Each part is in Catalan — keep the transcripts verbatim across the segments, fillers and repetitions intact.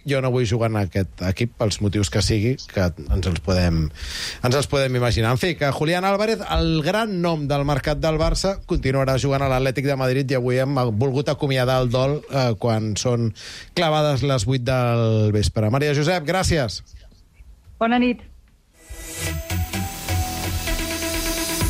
jo no vull jugar en aquest equip pels motius que sigui, que ens els podem, ens els podem imaginar. En fi, que Julián Álvarez, el gran nom del mercat del Barça, continuarà jugant a l'Atlètic de Madrid i avui hem volgut acomiadar el dol eh, quan són clavades les vuit del vespre. Maria Josep, gràcies. Bona nit.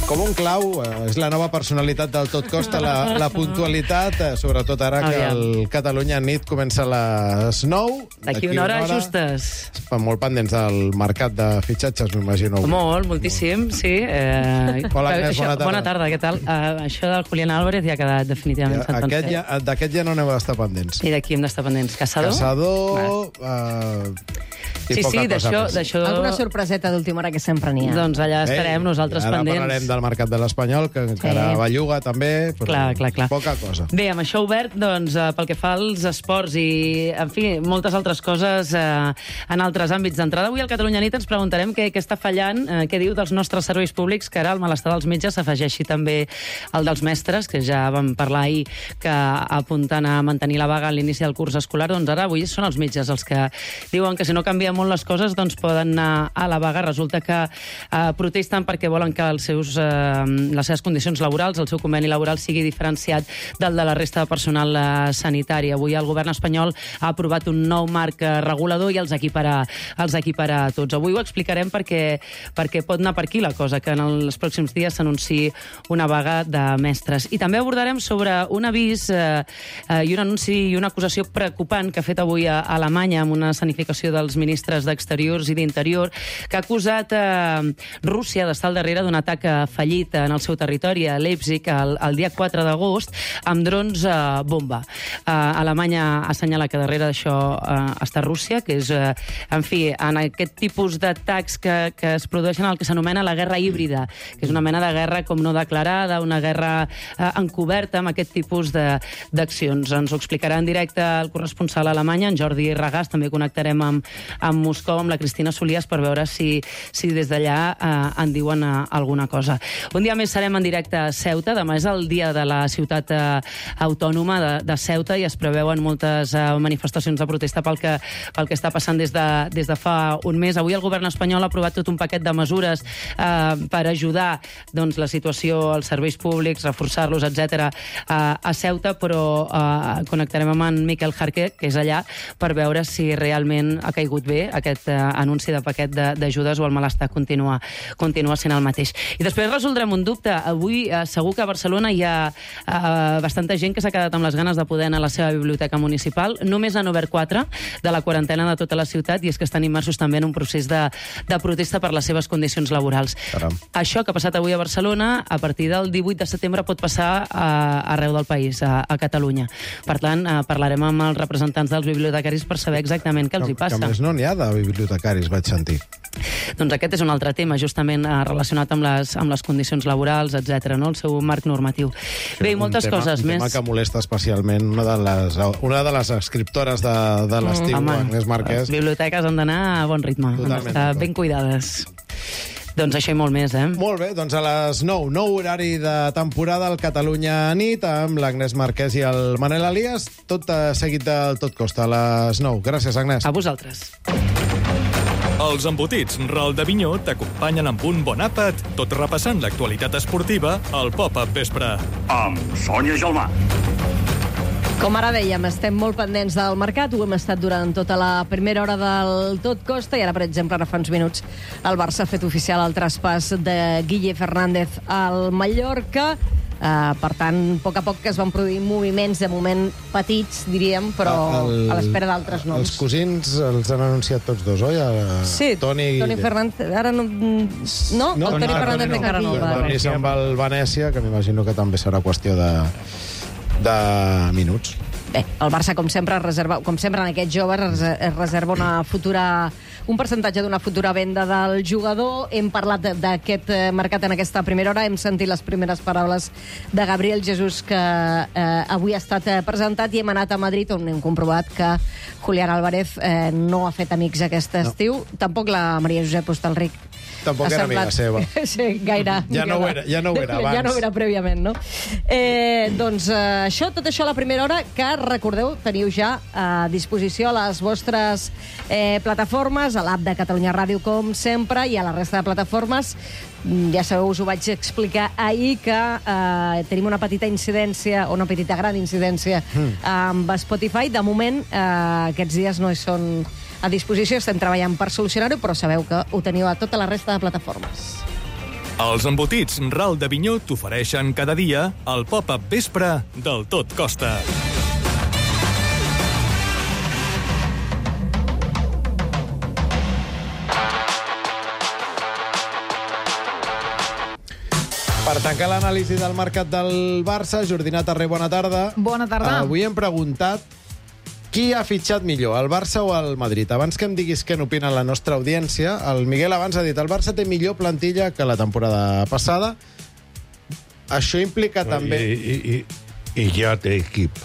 Com un clau, eh, és la nova personalitat del Tot Costa, la, la puntualitat, eh, sobretot ara que el Catalunya nit comença a les nou. D'aquí una hora, justes. Estan molt pendents del mercat de fitxatges, m'imagino. Molt, moltíssim, sí. Eh, Hola, Agnès, això, bona tarda. Bona tarda, què tal? Uh, això del Julián Álvarez ja ha quedat definitivament Ja, aquest ja, d'aquest ja no n'heu d'estar pendents. I d'aquí hem d'estar pendents. Caçador? Caçador... Uh, sí, sí, d'això... Alguna sorpreseta d'última hora que sempre n'hi ha. Doncs allà estarem Ei, nosaltres ara pendents. Ara parlarem del mercat de l'Espanyol, que encara Sí. belluga també, però Clar, clar, clar. poca cosa. Bé, amb això obert, doncs, eh, pel que fa als esports i, en fi, moltes altres coses eh, en altres àmbits. D'entrada, avui al Catalunya Nit ens preguntarem què, què està fallant, eh, què diu dels nostres serveis públics, que ara el malestar dels metges s'afegeixi també el dels mestres, que ja vam parlar ahir que apunten a mantenir la vaga a l'inici del curs escolar. Doncs ara, avui són els metges els que diuen que si no canvien molt les coses, doncs poden anar a la vaga. Resulta que eh, protesten perquè volen que els seus, eh, les seves condicions laborals, el seu conveni laboral sigui diferenciat del de la resta de personal eh, sanitari. Avui el govern espanyol ha aprovat un nou marc eh, regulador i els equiparà, els equiparà a tots. Avui ho explicarem perquè, perquè pot anar per aquí la cosa, que en els pròxims dies s'anunciï una vaga de mestres. I també abordarem sobre un avís eh, eh, i un anunci i una acusació preocupant que ha fet avui a Alemanya amb una escenificació dels ministres d'Exteriors i d'Interior, que ha acusat eh, Rússia d'estar al darrere d'un atac fallit en el seu territori, a Leipzig, el, el dia quatre d'agost, amb drons eh, bomba. Eh, Alemanya assenyala que darrere d'això eh, està Rússia, que és, eh, en fi, en aquest tipus d'atacs que, que es produeixen el que s'anomena la guerra híbrida, que és una mena de guerra com no declarada, una guerra eh, encoberta amb aquest tipus d'accions. Ens ho explicarà en directe el corresponsal a Alemanya, en Jordi Regàs. També connectarem amb, amb Moscou, amb la Cristina Solias, per veure si, si des d'allà eh, en diuen eh, alguna cosa. Un dia més serem en directe a Ceuta. Demà és el dia de la ciutat eh, autònoma de, de Ceuta i es preveuen moltes eh, manifestacions de protesta pel que, pel que està passant des de, des de fa un mes. Avui el govern espanyol ha aprovat tot un paquet de mesures eh, per ajudar doncs, la situació als serveis públics, reforçar-los, etcètera, eh, a Ceuta, però eh, connectarem amb en Miquel Jarque, que és allà, per veure si realment ha caigut bé aquest eh, anunci de paquet d'ajudes o el malestar continua, continua sent el mateix. I després resoldrem un dubte. Avui eh, segur que a Barcelona hi ha eh, bastanta gent que s'ha quedat amb les ganes de poder anar a la seva biblioteca municipal. Només han obert quatre de la quarantena de tota la ciutat i és que estan immersos també en un procés de, de protesta per les seves condicions laborals. Caram. Això que ha passat avui a Barcelona, a partir del divuit de setembre pot passar a, arreu del país, a, a Catalunya. Per tant, eh, parlarem amb els representants dels bibliotecaris per saber exactament què els hi passa. Que a més no n'hi ha de bibliotecaris, vaig sentir. Doncs aquest és un altre tema, justament eh, relacionat amb les, amb les condicions laborals, etcètera, no? El seu marc normatiu. Bé, i moltes un tema, coses un més. Un tema que molesta especialment una de les, una de les escriptores de, de l'estiu, Home, Agnès Marquès. les biblioteques han d'anar a bon ritme, han Totalment d'estar d'acord. ben cuidades. Doncs això i molt més, eh? Molt bé, doncs a les nou, nou horari de temporada al Catalunya nit, amb l'Agnès Marquès i el Manel Elias, tot eh, seguit del Tot Costa, a les nou. Gràcies, Agnès. A vosaltres. Els embotits Ral de Vinyó t'acompanyen amb un bon àpat, tot repassant l'actualitat esportiva al Pop-Up Vespre. Amb Sònia Gelmà. Com ara dèiem, estem molt pendents del mercat, ho hem estat durant tota la primera hora del Tot Costa i ara, per exemple, ara fa uns minuts el Barça ha fet oficial el traspàs de Guille Fernández al Mallorca. Uh, per tant, a poc a poc que es van produir moviments, de moment petits, diríem, però el, a l'espera d'altres noms. Els cosins els han anunciat tots dos, oi? El, sí, Toni, Toni Fernández. Ara no... No, no el Toni no, Fernández no, encara no el va. Toni se'n va al Venècia, que m'imagino que també serà qüestió de, de minuts. Bé, el Barça, com sempre, reserva, com sempre en aquest jove, es reserva una futura, un percentatge d'una futura venda del jugador. Hem parlat d'aquest mercat en aquesta primera hora, hem sentit les primeres paraules de Gabriel Jesús, que eh, avui ha estat presentat, i hem anat a Madrid, on hem comprovat que Julián Álvarez eh, no ha fet amics aquest estiu. No. Tampoc la Maria Josep Hostalric Tampoc era amiga seva. Sí, gaire. Ja no ho era, ja no ho era abans. Ja no ho era prèviament, no? Eh, doncs eh, això, tot això a la primera hora, que recordeu, teniu ja a disposició a les vostres eh, plataformes, a l'app de Catalunya Ràdio, com sempre, i a la resta de plataformes. Ja sabeu, us ho vaig explicar ahir, que eh, tenim una petita incidència, o una petita gran incidència mm. amb Spotify. De moment, eh, aquests dies no hi són a disposició, estem treballant per solucionar-ho, però sabeu que ho teniu a tota la resta de plataformes. Els embotits Ral d'Avinyó t'ofereixen cada dia el pop-up vespre del Tot Costa. Per tancar l'anàlisi del mercat del Barça, Jordina Tarré, bona tarda. Bona tarda. Avui hem preguntat qui ha fitxat millor, el Barça o el Madrid. Abans que em diguis què n'opina la nostra audiència, el Miguel abans ha dit el Barça té millor plantilla que la temporada passada. Això implica no, també... I, i, i, I ja té equip,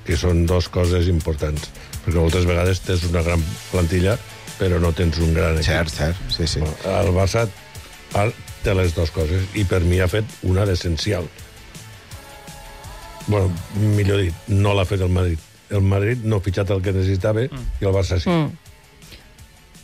que són dues coses importants. Perquè moltes vegades tens una gran plantilla, però no tens un gran equip. Cert, cert, sí, sí. El Barça té les dues coses, i per mi ha fet una d'essencial. Bueno, millor dit, no l'ha fet el Madrid. El Madrid no ha fitxat el que necessitava mm. i el Barça sí. Mm.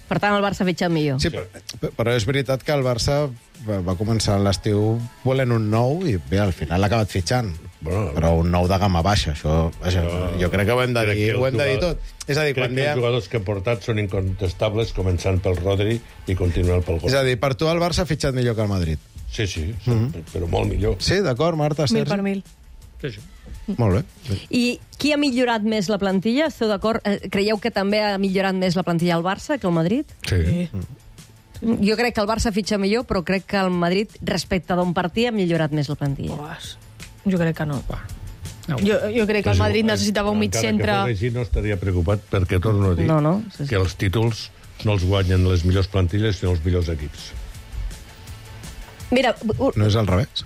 Per tant, el Barça ha fitxat millor. Sí, però és veritat que el Barça va començar l'estiu volent un nou i bé, al final l'ha acabat fitxant. Bueno, però un nou de gamma baixa, això, això no, jo crec que ho hem de dir, ho hem de dir tot. És a dir, crec quan que diem... els jugadors que ha portat són incontestables, començant pel Rodri i continuant pel gol. És a dir, per tu el Barça ha fitxat millor que el Madrid. Sí, sí, sí mm-hmm. però molt millor. Sí, d'acord, Marta, Sergi? Mil per mil. Sí, sí. Molt bé. I qui ha millorat més la plantilla? Esteu d'acord? Creieu que també ha millorat més la plantilla al Barça que el Madrid? Sí. Mm. Jo crec que el Barça fitxa millor, però crec que el Madrid, respecte d'on partia, ha millorat més la plantilla. Oh, jo crec que no. No. Jo, jo crec que el Madrid necessitava un mig centre... Encara que fos així, no estaria preocupat, perquè torno a dir no, no, sí, sí. que els títols no els guanyen les millors plantilles, sinó els millors equips. Mira... No és al revés?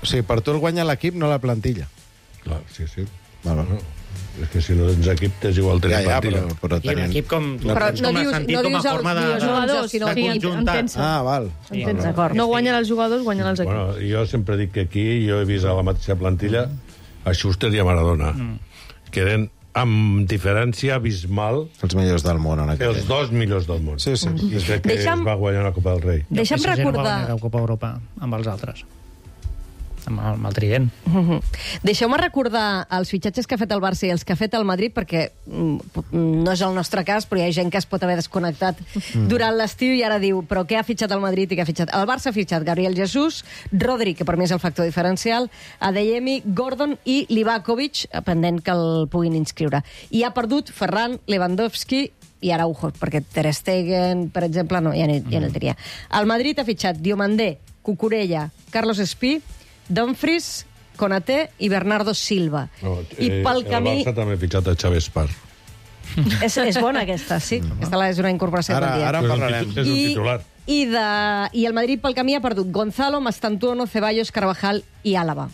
O sigui, per tu el guanya l'equip, no la plantilla. Clar, sí, sí. Val, val. No, és que si no tens equip, t'és igual tenir ja, ja, plantilla. Però, però I tenint... l'equip com, no, però com no a dius, sentit, no com a dius forma de, els jugadors, sinó de que conjuntar. Ah, val. Sí. Entens, d'acord. No guanyen els jugadors, guanyen els equips. Bueno, jo sempre dic que aquí jo he vist a la mateixa plantilla a Schuster i a Maradona, mm. que eren amb diferència abismal els millors del món en aquest els dos millors del món. Sí, sí. Des que Deixa'm... es va guanyar la Copa del Rei. Deixa'm no recordar... No va Copa Europa amb els altres. Amb el, amb el trident. Uh-huh. Deixeu-me recordar els fitxatges que ha fet el Barça i els que ha fet el Madrid, perquè mm, no és el nostre cas, però hi ha gent que es pot haver desconnectat mm. durant l'estiu i ara diu, però què ha fitxat el Madrid i què ha fitxat? El Barça ha fitxat Gabriel Jesús, Rodri, que per mi és el factor diferencial, Adeyemi, Gordon i Livakovic, pendent que el puguin inscriure. I ha perdut Ferran, Lewandowski i Araujo, perquè Ter Stegen, per exemple, no, ja no, ja no el diria. El Madrid ha fitxat Diomandé, Cucurella, Carlos Espí, Dumfries, Konaté i Bernardo Silva. No, I eh, pel camí... El Barça també ha fitxat a Xavi Espar. És, és bona aquesta, sí. Aquesta és una incorporació. Ara, ara en parlarem. És un titular. I, de, I el Madrid pel camí ha perdut Gonzalo, Mastantuono, Ceballos, Carvajal i Álava.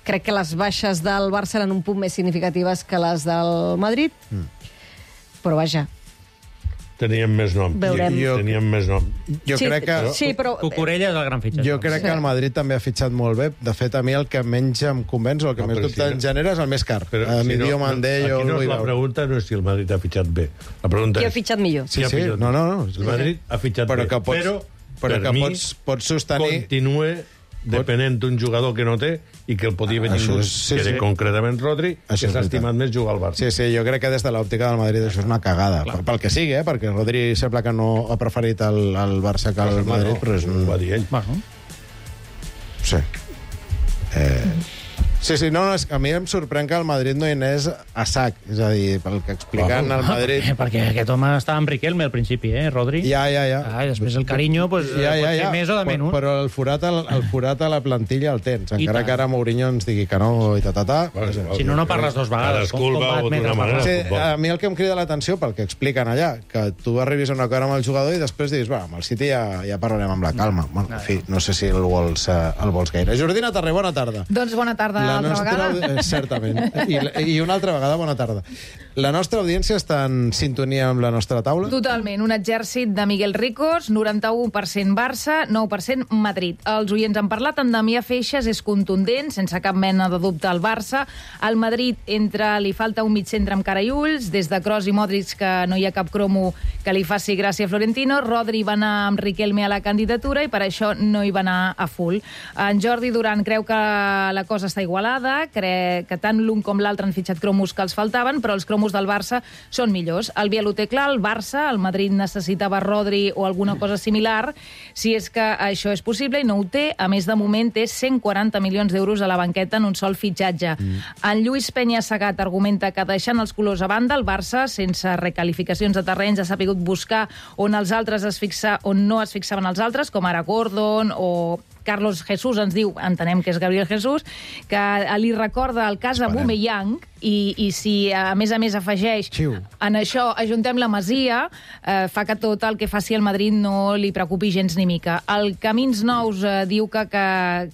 Crec que les baixes del Barça eren un punt més significatives que les del Madrid, mm. però vaja... Teníem més nom. Veurem. Jo, Teníem més nom. Jo sí, crec que... Sí, però... Cucurella és el gran fitxatge. Jo crec que el Madrid també ha fitxat molt bé. De fet, a mi el que menys em convenç o el que No, més però dubte si en no- genera és el més car. Però A si mi no- Diomandé, aquí jo no vull és la veure. pregunta no és si el Madrid ha fitxat bé. La pregunta Qui ha és... fitxat millor? Sí, Qui ha sí, fitxat no, bé? no, no. El Madrid ha fitxat Però bé, que pots- però, però per que mi pots- pots sostenir- continue depenent d'un jugador que no té i que el podia haver Això tingut, és- sí, que era sí. concretament Rodri, Això és que s'ha veritat. estimat més jugar al Barça. Sí, sí, jo crec que des de l'òptica del Madrid això és una cagada. Pel, pel que sigui, eh? Perquè Rodri sembla que no ha preferit el, el Barça que el Madrid, però és un... Ho va dir ell. Bueno, Sí. Eh... Sí, sí, no, no, és que a mi em sorprèn que el Madrid no hi anés a sac. És a dir, pel que expliquen el Madrid... perquè, perquè aquest home estava amb Riquelme al principi, eh, Rodri? Ja, ja, ja. Ah, i després el carinyo, pues, ja, ja, ja. Pot ser més o de menys. Però, però el forat, el, el forat a la plantilla el tens. I Encara tant. que ara Mourinho ens digui que no i ta, ta, ta. Si no, no parles dos vegades. Cadascú el Com- com va veu d'una admetre manera. Sí, futbol. a mi el que em crida l'atenció pel que expliquen allà, que tu arribis a un acord amb el jugador i després dius, va, amb el City ja, ja parlarem amb la calma. Bueno, en fi, no sé si el vols, eh, el vols gaire. Jordina Tarré, bona tarda. Doncs bona tarda. una altra nostra, vegada. certament. I, I una altra vegada, bona tarda. La nostra audiència està en sintonia amb la nostra taula? Totalment. Un exèrcit de Miguel Ricos, noranta-u per cent Barça, nou per cent Madrid. Els oients han parlat, en Damià Feixes és contundent, sense cap mena de dubte al Barça. Al Madrid entra, li falta un mig centre amb cara i ulls, des de Kroos i Modric, que no hi ha cap cromo que li faci gràcia a Florentino. Rodri va anar amb Riquelme a la candidatura i per això no hi va anar a full. En Jordi Duran creu que la cosa està igualada, creu que tant l'un com l'altre han fitxat cromos que els faltaven, però els cromos del Barça són millors. El Biel ho té clar, el Barça, el Madrid necessitava Rodri o alguna cosa similar, si és que això és possible, i no ho té. A més, de moment, té cent quaranta milions d'euros a la banqueta en un sol fitxatge. Mm. En Lluís Peña Segat argumenta que, deixant els colors a banda, el Barça, sense recalificacions de terrenys, ha sapigut buscar on els altres es fixa, on no es fixaven els altres, com ara Gordon o Carlos Jesús, ens diu, entenem que és Gabriel Jesús, que li recorda el cas de Aubameyang, i, i si a més a més afegeix Xiu. en això ajuntem la Masia, eh, fa que tot el que faci el Madrid no li preocupi gens ni mica. El Camins Nous eh, diu que, que,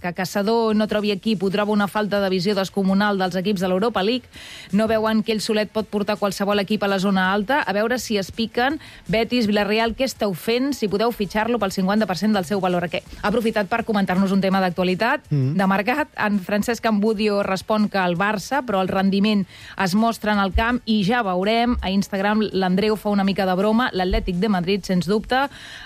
que Caçador no trobi equip, ho troba una falta de visió descomunal dels equips de l'Europa League, no veuen que ell solet pot portar qualsevol equip a la zona alta, a veure si es piquen. Betis, Villarreal, què esteu fent si podeu fitxar-lo pel cinquanta per cent del seu valor? Que ha aprofitat per comentar-nos un tema d'actualitat, mm. de mercat. En Francesc Ambudio respon que el Barça, però el rendiment es mostra en el camp i ja veurem. A Instagram l'Andreu fa una mica de broma, l'Atlètic de Madrid, sens dubte.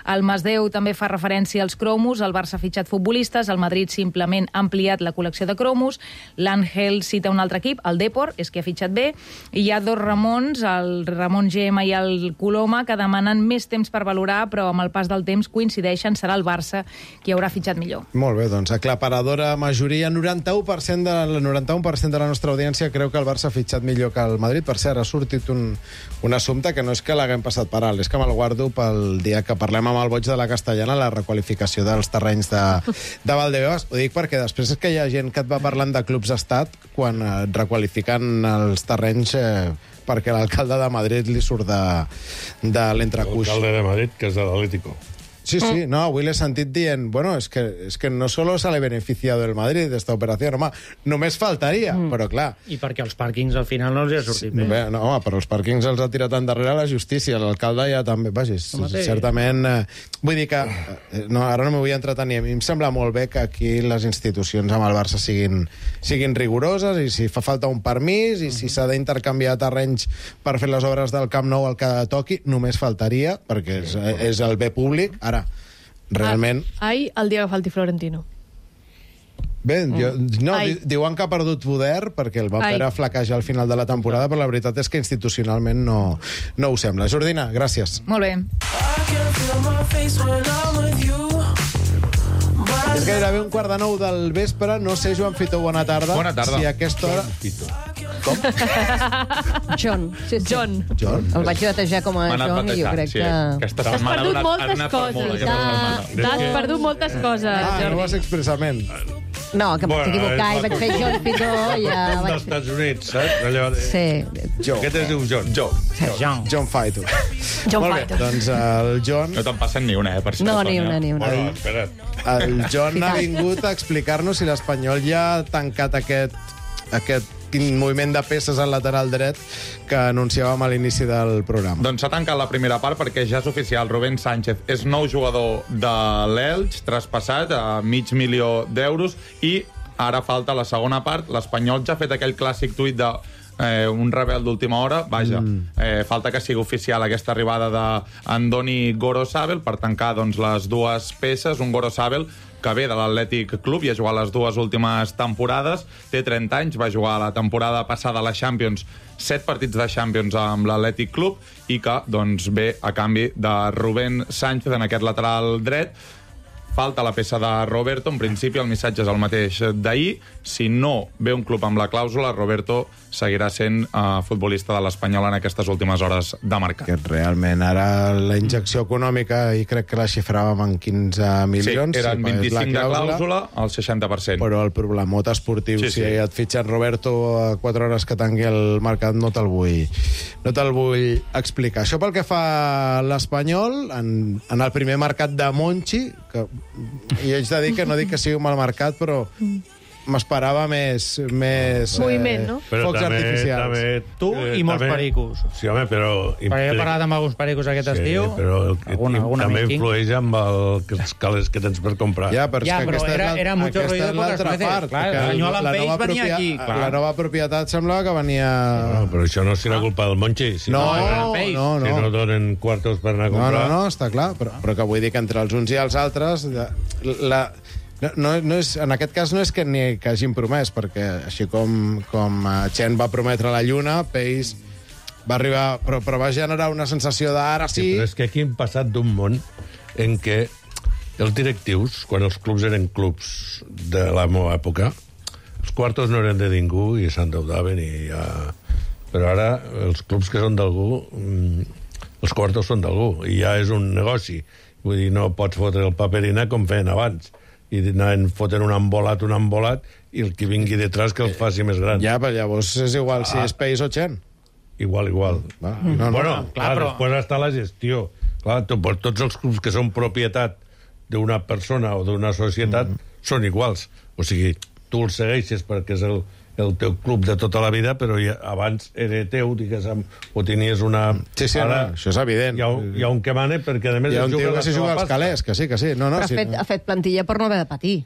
El Masdeu també fa referència als cromos, el Barça ha fitxat futbolistes, el Madrid simplement ha ampliat la col·lecció de cromos, l'Àngel cita un altre equip, el Depor, és que ha fitxat bé, i hi ha dos Ramons, el Ramon Gemma i el Coloma, que demanen més temps per valorar, però amb el pas del temps coincideixen, serà el Barça qui haurà fitxat millor. Molt bé, doncs aclaparadora majoria, noranta-u per cent de, el noranta-u per cent de la nostra audiència creu que el Barça s'ha fitxat millor que el Madrid. Per cert, ha sortit un, un assumpte que no és que l'haguem passat per alt, és que me'l guardo pel dia que parlem amb el boig de la Castellana, la requalificació dels terrenys de, de Valdebebas. Ho dic perquè després és que hi ha gent que et va parlant de clubs d'estat quan et requalifiquen els terrenys eh, perquè l'alcalde de Madrid li surt de, de l'entrecuix. L'alcalde de Madrid, que és de l'Atlético. Sí, sí, no, avui l'he sentit dient, bueno, és que, és que no solo sale beneficiado el Madrid d'esta operació, home, només faltaria, mm. però clar... I perquè els pàrquings al final no els ha sortit bé. bé. No, home, però els pàrquings els ha tirat endarrere la justícia, l'alcalde ja també, vaja, certament... Eh, vull dir que, eh, no, ara no m'ho vull entretenir, a mi em sembla molt bé que aquí les institucions amb el Barça siguin, siguin rigoroses, i si fa falta un permís, i si s'ha d'intercanviar terrenys per fer les obres del Camp Nou al que toqui, només faltaria, perquè és, és el bé públic. Ara, realment... Ai, el dia que falti Florentino. Bé, jo, no, di, diuen que ha perdut poder perquè el va fer flaquejar al final de la temporada, però la veritat és que institucionalment no, no ho sembla. Jordina, gràcies. Molt bé. És gairebé un quart de nou del vespre. No sé, Joan Fito, bona tarda. Bona tarda. Si a aquesta hora... Com? John. Sí, sí. John. John? El vaig batejar com a John i jo crec sí. que... Aquesta Has setmana perdut ha donat, moltes ha donat per coses. molt, aquesta setmana. T'has perdut moltes coses, Ah, Jordi. no vas expressament. No, que vaig Bueno, equivocar i és vaig fer John Fito i ja dels vaig... Estats Units, saps? Allò de... Sí. Jo. Aquest es diu John. Jo. John. John Fito. John Molt bé, Fito. doncs el John... No te'n passen ni una, eh, per si No, no, ni Tònia. una, ni una. Bueno, espera't. El John ha vingut a explicar-nos si l'Espanyol ja ha tancat aquest, aquest moviment de peces al lateral dret que anunciàvem a l'inici del programa. Doncs s'ha tancat la primera part perquè ja és oficial. Rubén Sánchez és nou jugador de l'Elx, traspassat a mig milió d'euros, i ara falta la segona part. L'Espanyol ja ha fet aquell clàssic tuit de Eh, un rebel d'última hora, vaja, mm. eh, falta que sigui oficial aquesta arribada d'Andoni Gorosabel per tancar doncs, les dues peces. Un Gorosabel que ve de l'Atlètic Club i ha jugat les dues últimes temporades, té trenta anys, va jugar la temporada passada a la Champions, set partits de Champions amb l'Atlètic Club, i que doncs, ve a canvi de Rubén Sánchez en aquest lateral dret. Falta la peça de Roberto. En principi el missatge és el mateix d'ahir. Si no ve un club amb la clàusula, Roberto seguirà sent uh, futbolista de l'Espanyol en aquestes últimes hores de mercat. Que realment ara la injecció econòmica, i crec que la xifràvem en quinze milions. Sí, eren vint-i-cinc de clàusula, el seixanta per cent. Però el problemot esportiu, sí, si sí. et fitxen Roberto a quatre hores que tangui el mercat, no te'l vull, no te'l vull explicar. Això pel que fa a l'Espanyol, en, en el primer mercat de Monchi, que i haig de dir que no dic que sigui un mal mercat, però m'esperava més... més Moviment, no? Però focs també, artificials. També, Tu i molts també- pericos. Sí, home, però... Perquè he parlat amb alguns pericos aquest Sí, estiu. però el, Alguna- i, alguna també amic. influeix amb el, els calés que tens per comprar. Ja, però, Ja, és que però aquesta era- és la- era mucho aquesta ruido és l'altra pocas veces. part. Clar, que el senyor Alan la Page nova venia propia- aquí, clar. La nova propietat semblava que venia... No, però això no serà culpa del Monchi. Si No, no, no, no. Si no donen quartos per anar a No, comprar... no, no, està clar, però, però que vull dir que entre els uns i els altres... La, no, no, no és, en aquest cas no és que ni que hagin promès, perquè així com, com Chen va prometre la Lluna, Pace va arribar... Però, però va generar una sensació d'ara Sí, sí... però és que aquí hem passat d'un món en què els directius, quan els clubs eren clubs de la meva època, els quartos no eren de ningú i s'endeudaven i ja... Però ara els clubs que són d'algú, mm, els quartos són d'algú i ja és un negoci. Vull dir, no pots fotre el paperina com feien abans i anaven fotent un embolat, un embolat i el que vingui detrás que el faci més gran. Ja, però llavors és igual si Ah. és Pace o Chen. Igual, igual. Va, no, no, bueno, no, clar, però- després està la gestió. Clar, tu, pues, tots els clubs que són propietat d'una persona o d'una societat mm. són iguals. O sigui, tu els segueixes perquè és el, el teu club de tota la vida, però ja, abans era teu, diguéssim, o tenies una... Sí, sí, Ara, no, això és evident. Hi ha, un- hi ha un que mane perquè, a més, Hi ha un es juga tio la que s'hi seva juga als pasta. calés, que sí, que sí. No, no, Però ha sí, fet, no. ha fet plantilla per no haver de patir.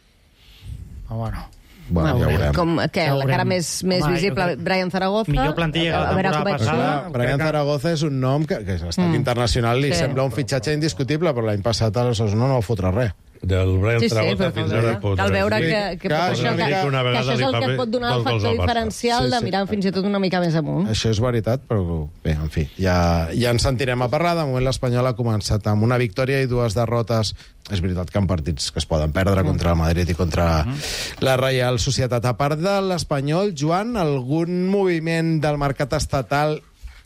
Ah, bueno. Bueno, ja ho veurem. Com, què, Ja ho la cara veurem. més, més Home, visible, jo crec- Brian Zaragoza. Millor plantilla que la a veure temporada com et passada. surt. Clar, Brian crec que- Zaragoza és un nom que, que a l'estat mm. internacional li Sí. sembla un fitxatge indiscutible, però l'any passat a l'Osasuna no va fotre res. Del Brian Sí, sí, Zaragoza però fins cal, ara pot cal veure Sí, que, que, clar, pot, és això, una que, mica- una que vegada això és li el fa que bé et pot donar el dos gols factor al Barça. diferencial Sí, de sí. mirar fins i tot una mica més amunt. Això és veritat, però bé, en fi, ja, ja ens sentirem a parlar. De moment l'Espanyol ha començat amb una victòria i dues derrotes. És veritat que en partits que es poden perdre contra el Madrid i contra la Reial Societat. A part de l'Espanyol, Joan, algun moviment del mercat estatal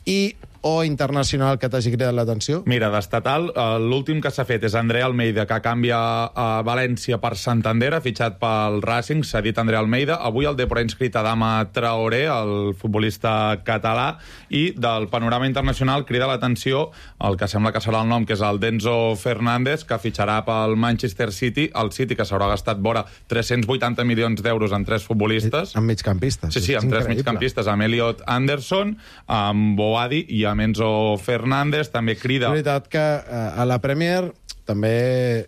i o internacional que t'hagi cridat l'atenció? Mira, d'estatal, eh, l'últim que s'ha fet és André Almeida, que canvia a València per Santander, ha fitxat pel Racing, s'ha dit André Almeida. Avui el Depor ha inscrit Adama Traoré, el futbolista català, i del panorama internacional crida l'atenció el que sembla que serà el nom, que és el Denzo Fernández, que fitxarà pel Manchester City, el City, que s'haurà gastat vora tres-cents vuitanta milions d'euros en tres futbolistes. Amb migcampistes. Sí, sí, És amb tres increïble. migcampistes, amb Elliot Anderson, amb Boadi i amb Enzo Fernández. També crida... És veritat que eh, a la Premier també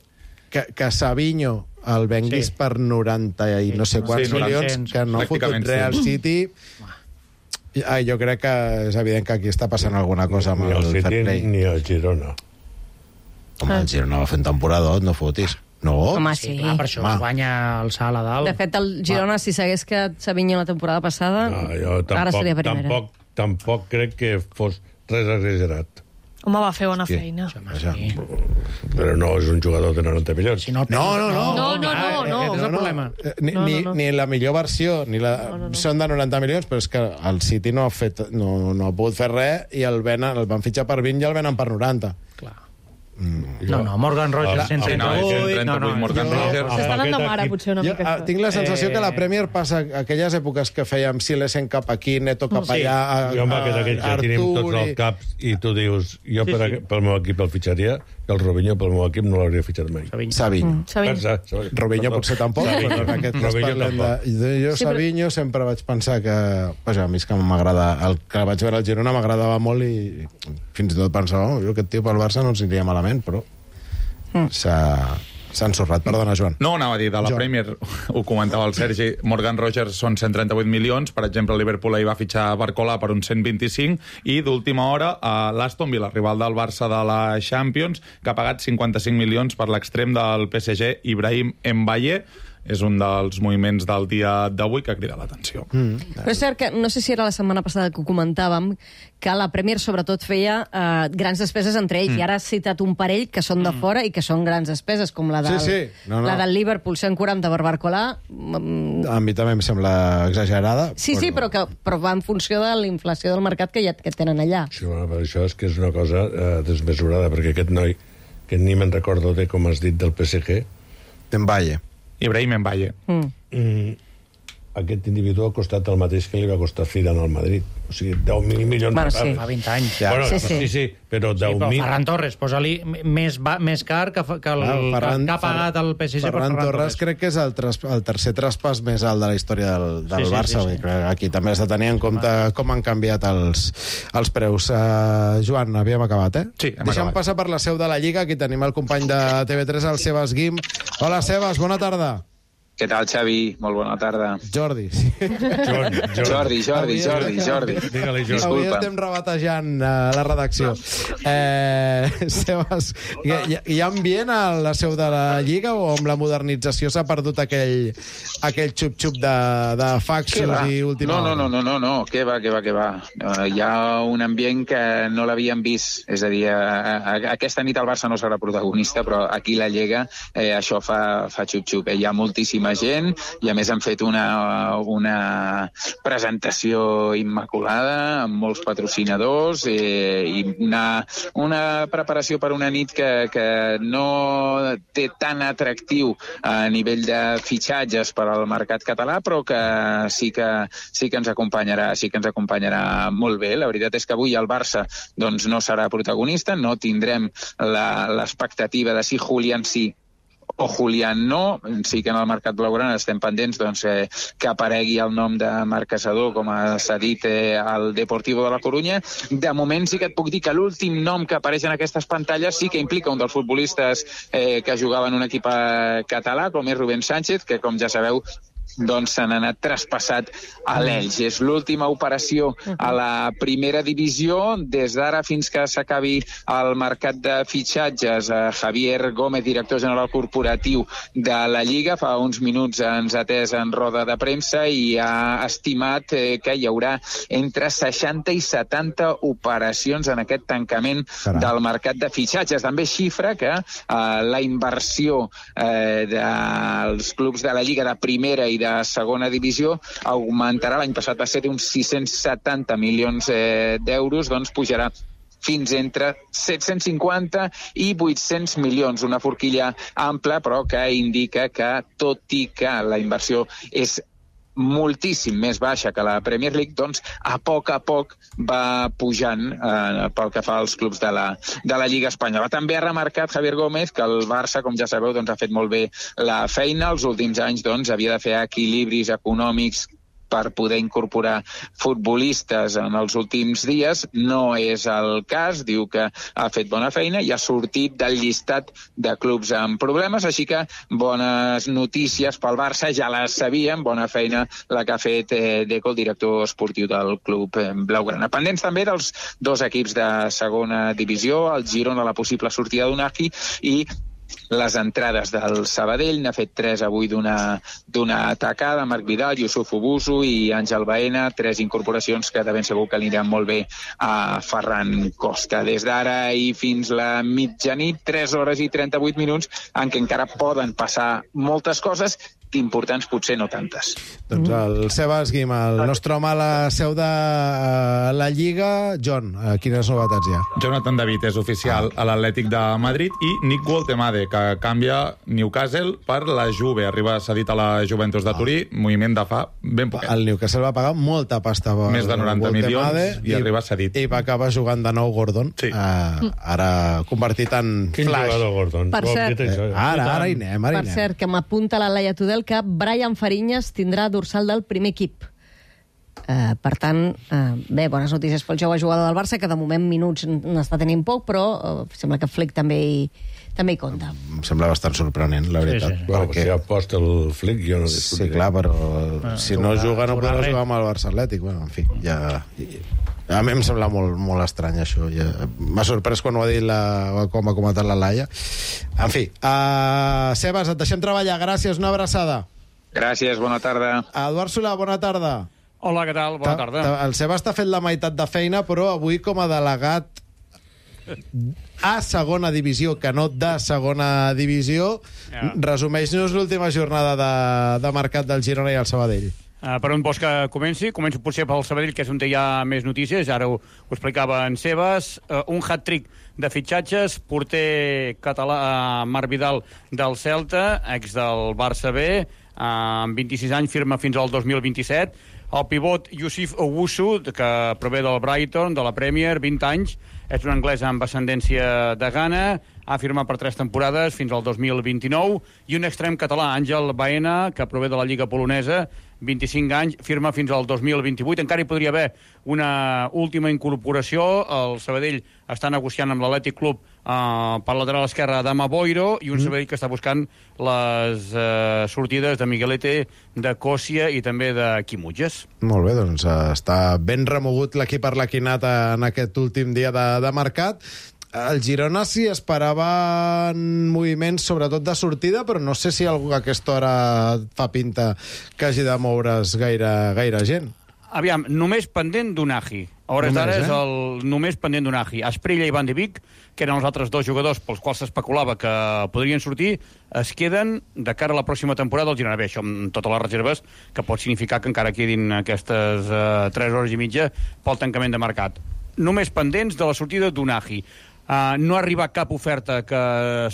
que, que Savinho el venguis Sí. per noranta i no sé quants Sí, milions, noranta, que no ha fotut pràcticament res al sí. City. Ai, jo crec que és evident que aquí està passant alguna cosa amb Ni el el fair City play. ni el Girona. Home, el Girona va fer un temporador, no fotis. No? Home, Sí, sí. clar, per això Home. es guanya el salt a dalt. De fet, el Girona, si s'hagués quedat Savinho la temporada passada, No, jo ara tampoc, seria primera. tampoc, tampoc crec que fos res exagerat. Home, va fer bona Sí. feina. Vaja. Sí. Però no és un jugador de noranta milions. Si no, el No, no, no. No, no, no, clar, no. Aquest és el problema. Eh, Ni, No, no, ni, no. ni la millor versió, ni la... No, no, no. Són de noranta milions, però és que el City no ha, fet, no, no ha pogut fer res i el, venen, el van fitxar per vint i el venen per noranta. Clar. No, no, Morgan Rogers, Ah, cent ah, trenta no, vuit... cent trenta-vuit, Morgan jo- Rogers. S'estan Amb anant de aquest mare, equip- potser una Jo, mica. ah, tinc la sensació Eh, que la Premier passa aquelles èpoques que fèiem Silesen cap aquí, Neto cap Sí. allà, a, Jo, home, que d'aquells que tenim tots Artur els i- caps i tu dius, jo Sí, per, sí. a- pel meu equip el fitxaria i el Robinho pel meu equip no l'hauria fitxat mai. Savinho. Savinho. Savinho. Pensa, Savinho. Robinho potser tampoc, Savinho. però en aquest cas Robinho parlem tampoc. de... Jo, Sí, però- Savinho, sempre vaig pensar que... Vaja, a mi és que m'agrada... El que vaig veure al Girona m'agradava molt i fins i tot pensava, oh, jo aquest tio pel Barça no ens aniria malament, però s'ha s'ha ensorrat. Perdona, Joan. No, anava a dir, de la Jo. Premier, ho comentava el Sergi, Morgan Rogers són cent trenta-vuit milions, per exemple, el Liverpool ahir va fitxar Barcola per uns cent vint-i-cinc, i d'última hora, a l'Aston Villa, rival del Barça de la Champions, que ha pagat cinquanta-cinc milions per l'extrem del P S G, Ibrahim Mbaye. És un dels moviments del dia d'avui que crida l'atenció. Mm. Però és cert que, no sé si era la setmana passada que ho comentàvem, que la Premier sobretot feia eh, grans despeses entre ells, mm. i ara has citat un parell que són de fora i que són grans despeses, com la del, Sí, sí. No, no. La del Liverpool, cent quaranta per Barcolà. Mm, A mi també em sembla exagerada. Sí, sí, però, que, però va en funció de la inflació del mercat que ja que tenen allà. Sí, bueno, però això és que és una cosa eh, desmesurada, perquè aquest noi, que ni me'n recordo de com has dit del P S G, Mbaye. Ibrahim Mbaye. Mm. mm, aquest individu ha costat el mateix que li va costar Fidan al Madrid. O sigui, deu mil milions bueno, de sí. Fa vint anys. Ja. Bueno, sí, sí, sí. sí, però Sí, deu però mil... Ferran Torres, posa-li més, va, més car que, que, el, Ah, Ferran- que ha pagat el P S G per Ferran Ferran Torres crec que és el, tras, el tercer traspàs més alt de la història del, del Sí, sí, Barça. sí, sí. Sí, sí. Aquí també has de tenir en compte com han canviat els, els preus. Uh, Joan, havíem acabat, eh? Sí, hem Deixa'm acabat. passar per la seu de la Lliga. Aquí tenim el company de T V tres, el Sebas Guim. Hola, Sebas, bona tarda. Què tal, Xavi? Molt bona tarda. Jordi. Sí. John, John. Jordi, Jordi, Avui- Jordi, Jordi. Digue-li, Jordi. Avui Disculpa. estem rebatejant uh, la redacció. Eh, Sebas, hi, hi, hi ha ambient a la seu de la Lliga o amb la modernització s'ha perdut aquell, aquell xup-xup de, de Què faxos va? i última No, no, no, hora? no, no, no, què va, què va, què va. Uh, hi ha un ambient que no l'havíem vist. És a dir, a, a, aquesta nit el Barça no serà protagonista, però aquí la Lliga eh, això fa, fa xup-xup. Eh, hi ha moltíssima gent i a més han fet una, una presentació immaculada amb molts patrocinadors eh, i una, una preparació per una nit que, que no té tan atractiu a nivell de fitxatges per al mercat català, però que sí que, sí que ens acompanyarà, sí que ens acompanyarà molt bé. La veritat és que avui el Barça doncs, no serà protagonista, no tindrem l'expectativa de si Julián sí o Julián no. Sí que en el mercat blaugrana estem pendents doncs, eh, que aparegui el nom de Marc Caçador, com s'ha dit eh, al Deportivo de la Corunya. De moment sí que et puc dir que l'últim nom que apareix en aquestes pantalles sí que implica un dels futbolistes eh, que jugava en un equip eh, català, com és Rubén Sánchez, que com ja sabeu doncs s'han anat traspassat a l'Elx. És l'última operació a la primera divisió. Des d'ara fins que s'acabi el mercat de fitxatges, eh, Javier Gómez, director general corporatiu de la Lliga, fa uns minuts ens ha atès en roda de premsa i ha estimat eh, que hi haurà entre seixanta i setanta operacions en aquest tancament Caram. del mercat de fitxatges. També xifra que eh, la inversió eh, dels clubs de la Lliga de primera i de segona divisió augmentarà. L'any passat va ser d'uns sis-cents setanta milions eh, d'euros, doncs pujarà fins entre set-cents cinquanta i vuit-cents milions. Una forquilla ampla, però que indica que, tot i que la inversió és moltíssim més baixa que la Premier League, doncs a poc a poc va pujant eh, pel que fa als clubs de la, de la Lliga Espanyola. També ha remarcat Javier Gómez que el Barça, com ja sabeu, doncs, ha fet molt bé la feina. Els últims anys doncs, havia de fer equilibris econòmics per poder incorporar futbolistes en els últims dies. No és el cas, diu que ha fet bona feina i ha sortit del llistat de clubs amb problemes, així que bones notícies pel Barça, ja les sabíem, bona feina la que ha fet eh, Deco, el director esportiu del club eh, blaugrana. Pendents també dels dos equips de segona divisió, el Girona, la possible sortida d'Unagi i les entrades del Sabadell. N'ha fet tres avui d'una d'una atacada, Marc Vidal, Yusuf Obusu i Àngel Baena, tres incorporacions que de ben segur que aniran molt bé a Ferran Costa. Des d'ara i fins la mitjanit, tres hores i trenta-vuit minuts, en què encara poden passar moltes coses, importants potser no tantes. Doncs el Sebas Guim, el nostre home a la seu de uh, la Lliga. John, uh, quines novetats hi ha? Jonathan David és oficial a l'Atlètic de Madrid i Nick Woltemade, que canvia Newcastle per la Juve. Arriba cedit a la Juventus de Turí, moviment de fa ben poquet. El Newcastle va pagar molta pasta. Més de noranta milions i arriba cedit. I va acabar jugant de nou Gordon, Sí. uh, ara convertit en Quin flash. jugador, Gordon? Per Ho hem cert- dit això, Eh, eh? ara, ara hi anem, ara hi Per anem. cert, que m'apunta la Laia Tudel que Brian Fariñas tindrà dorsal del primer equip. Uh, per tant, uh, bé, bones notícies pel jove jugador del Barça, que de moment minuts n'està tenint poc, però uh, sembla que Flick també hi, també hi compta. Em sembla bastant sorprenent, la veritat. sí, sí. Bueno, Perquè... si aposta el Flick, jo no Sí, discutiré. clar, però si no jugarà- juga no jugarà podrà res. jugar amb el Barça Atlètic. Bueno, en fi, ja... A mi em sembla molt, molt estrany, això. Ja... M'ha sorprès quan ho ha dit la... com ha comentat la Laia. En fi, uh, Sebas, et deixem treballar. Gràcies, una abraçada. Gràcies, bona tarda. Eduard Solà, bona tarda. Hola, què tal? Bona Ta- tarda. ta- El Sebas t'ha fet la meitat de feina, però avui com a delegat a segona divisió, que no de segona divisió, Ja. resumeix-nos l'última jornada de, de mercat del Girona i el Sabadell. Uh, per on vols que comenci? Començo potser pel Sabadell, que és on hi ha més notícies. Ara ho, ho explicava en Sebas. Uh, un hat-trick de fitxatges. Porter català uh, Marc Vidal del Celta, ex del Barça B. amb vint-i-sis anys, firma fins al dos mil vint-i-set. El pivot Yusuf Owusu, que prové del Brighton, de la Premier, vint anys, és un anglès amb ascendència de Ghana, ha firmat per tres temporades fins al dos mil vint-i-nou, i un extrem català, Àngel Baena, que prové de la Lliga Polonesa, vint-i-cinc anys, firma fins al dos mil vint-i-vuit. Encara hi podria haver una última incorporació. El Sabadell està negociant amb l'Atlètic Club eh, per lateral esquerre d'Ama Boiro, i un Sabadell que està buscant les eh, sortides de Miguelete, de Còssia i també de Quimutges. Molt bé, doncs eh, està ben remogut l'equip arlequinat en aquest últim dia de, de mercat. El Girona s'hi esperava moviments, sobretot de sortida, però no sé si algú a aquesta hora fa pinta que hagi de moure's gaire, gaire gent. Aviam, només pendent d'Unagi. A hores d'ara és el només pendent d'Unagi. Asprilla i Van de Beek, que eren els altres dos jugadors pels quals s'especulava que podrien sortir, es queden de cara a la pròxima temporada del Girona. Bé, això amb totes les reserves, que pot significar que encara quedin aquestes uh, tres hores i mitja pel tancament de mercat. Només pendents de la sortida d'Unagi. Uh, no ha arribat cap oferta que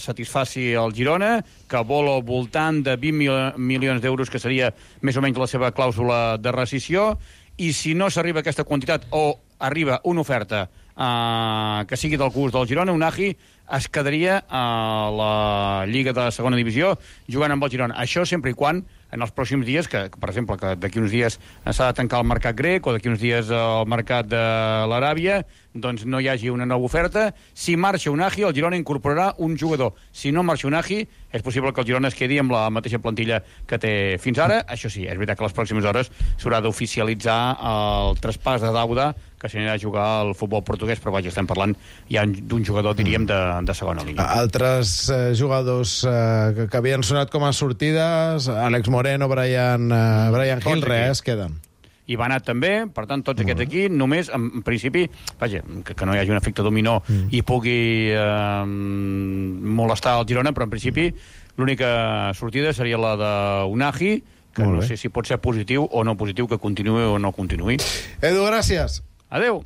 satisfaci el Girona, que vol al voltant de vint milions d'euros, que seria més o menys la seva clàusula de rescissió, i si no s'arriba a aquesta quantitat o arriba una oferta uh, que sigui del gust del Girona, Unagi es quedaria a la Lliga de Segona Divisió jugant amb el Girona. Això sempre i quan en els pròxims dies, que, per exemple, que d'aquí uns dies s'ha de tancar el mercat grec o d'aquí uns dies el mercat de l'Aràbia, doncs no hi hagi una nova oferta. Si marxa Unagi, el Girona incorporarà un jugador. Si no marxa Unagi, és possible que el Girona es quedi amb la mateixa plantilla que té fins ara. Això sí, és veritat que a les pròximes hores s'haurà d'oficialitzar el traspàs de Dauda, que s'anirà a jugar al futbol portuguès, però vaja, estem parlant ja d'un jugador, diríem, de, de segona línia. Altres eh, jugadors eh, que, que havien sonat com a sortides, Àlex Moreno, Brian, eh, Brian Hill, res, queden. I va anar també, per tant, tots aquests aquí, només, en principi, vaja, que, que no hi hagi un efecte dominó mm. i pugui eh, molestar el Girona, però en principi l'única sortida seria la d'Unagi, que no sé si pot ser positiu o no positiu, que continuï o no continuï. Edu, gràcies. Adéu.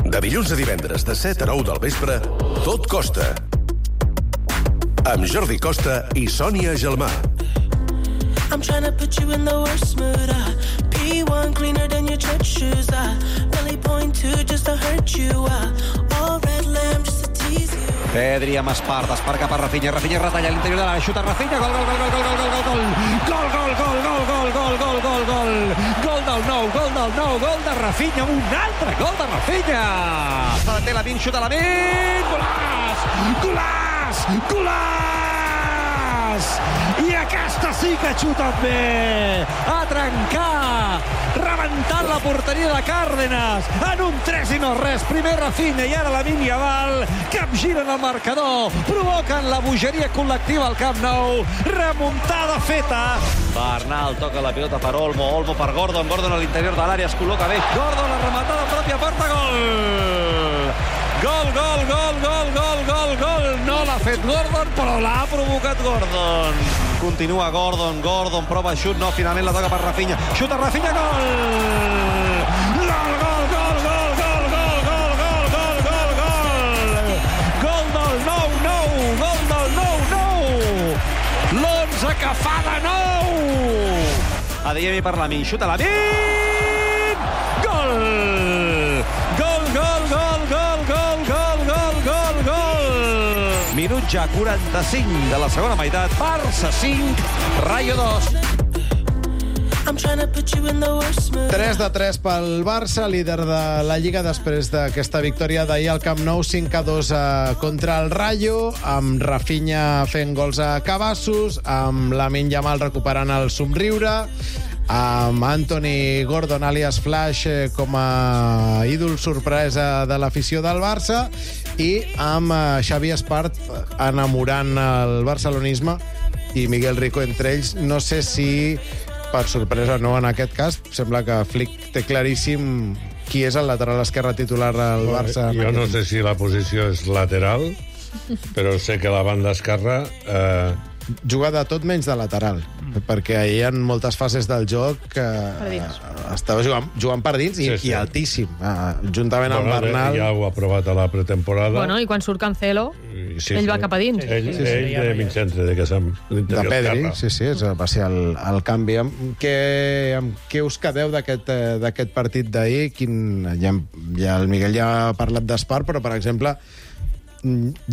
De dilluns a divendres, de set a nou del vespre, Tot Costa. Amb Jordi Costa i Sònia Gelmà. I'm trying to put you in the worst mood. Uh, P one cleaner than your church shoes. Uh, really point two just to hurt you. Uh, all red lamb just to tease you. Pedri amb Espart, Espart cap a Rafinha, Rafinha retalla a l'interior de l'àrea, xuta Rafinha, gol, gol, gol, gol, gol, gol, gol, gol, gol, gol, gol, gol, gol, gol, gol, gol, gol, gol del nou, gol del nou, gol de Rafinha, un altre gol de Rafinha. Se la té la Min, xuta la Min, golaç, golaç, golaç! I aquesta sí que ha xutat bé, a trencar, rebentant la porteria de Cárdenas, en un tres i no res, primer Rafinha i ara la Lamine Yamal, capgiren el marcador, provoquen la bogeria col·lectiva al Camp Nou, remuntada feta. Bernal toca la pilota per Olmo, Olmo per Gordon, Gordon a l'interior de l'àrea es col·loca bé, Gordon la rematada a pròpia porta, gol! Gol, gol, gol, gol, gol, gol, gol. No l'ha fet Gordon, però l'ha provocat Gordon. Continua Gordon, Gordon prova xut, no, finalment la toca per Rafinha. Xuta Rafinha, gol! Gol, gol, gol, gol, gol, gol, gol, gol, gol, gol, gol! Gol del nou, nou, gol del nou, nou! L'onze que fa de nou! Adeyemi per Lamine, xuta Lamine! Gol! Gol, gol, gol, gol, gol, gol, gol, gol, gol! Minut ja quaranta-cinc de la segona meitat. Barça cinc, Rayo dos. tres de tres pel Barça, líder de la Lliga després d'aquesta victòria d'ahir al Camp Nou, cinc a dos contra el Rayo, amb Rafinha fent gols a cabassos, amb Lamine Yamal recuperant el somriure, amb Anthony Gordon, alias Flash, eh, com a ídol sorpresa de l'afició del Barça, i amb eh, Xavi Espart enamorant el barcelonisme i Miguel Rico entre ells. No sé si, per sorpresa no en aquest cas, sembla que Flick té claríssim qui és el lateral esquerre titular al Barça. Jo no sé si la posició és lateral, però sé que la banda esquerra... Eh, juga de tot menys de lateral, mm. perquè hi ha moltes fases del joc que estava jugant, jugant per dins i, sí, sí. i altíssim, uh, juntament amb bueno, Bernal. Ja ho ha provat a la pretemporada. Bueno, i quan surt Cancelo, sí, ell sí. va cap a dins. Ell, sí, sí, ell de Vincentre, de Casam. De Pedri, sí, sí, va ser el, el canvi. Amb què, amb què us quedeu d'aquest d'aquest partit d'ahir? Quin, ja, ja el Miguel ja ha parlat d'Espar, però, per exemple,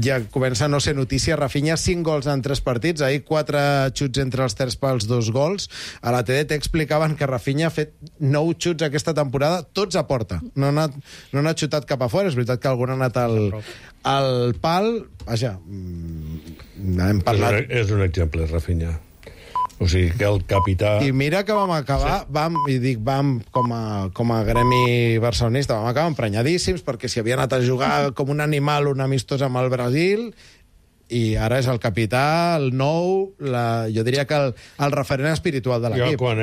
ja comença a no ser notícia. Rafinha, cinc gols en tres partits. Ahir, quatre xuts entre els terç pals, dos gols. A la T D T explicaven que Rafinha ha fet nou xuts aquesta temporada, tots a porta. No ha anat, no ha anat xutat cap a fora. És veritat que algun ha anat al, al pal. Vaja, hem parlat... És un, és un exemple, Rafinha. O sigui, que el capità... I mira que vam acabar, sí. vam, i dic vam com a, com a gremi barcelonista, vam acabar emprenyadíssims, perquè si havia anat a jugar com un animal, un amistós amb el Brasil, i ara és el capità, el nou, la, jo diria que el, el referent espiritual de l'equip. Jo, quan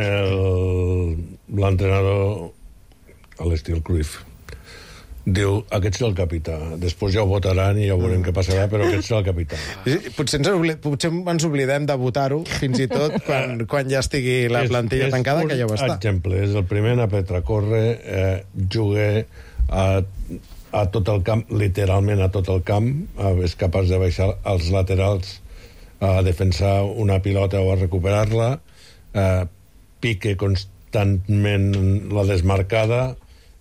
l'entrenador, a l'estil Cruyff, diu, aquest és el capità. Després ja ho votaran i ja veurem què passarà, però aquest és el capità. Potser ens, oblid, potser ens oblidem de votar-ho, fins i tot quan, quan ja estigui la plantilla és, tancada, que ja ho està. Exemple, és el primer a Petra Corre, eh, jugué a, a tot el camp, literalment a tot el camp, eh, és capaç de baixar als laterals a defensar una pilota o a recuperar-la, eh, pique constantment la desmarcada,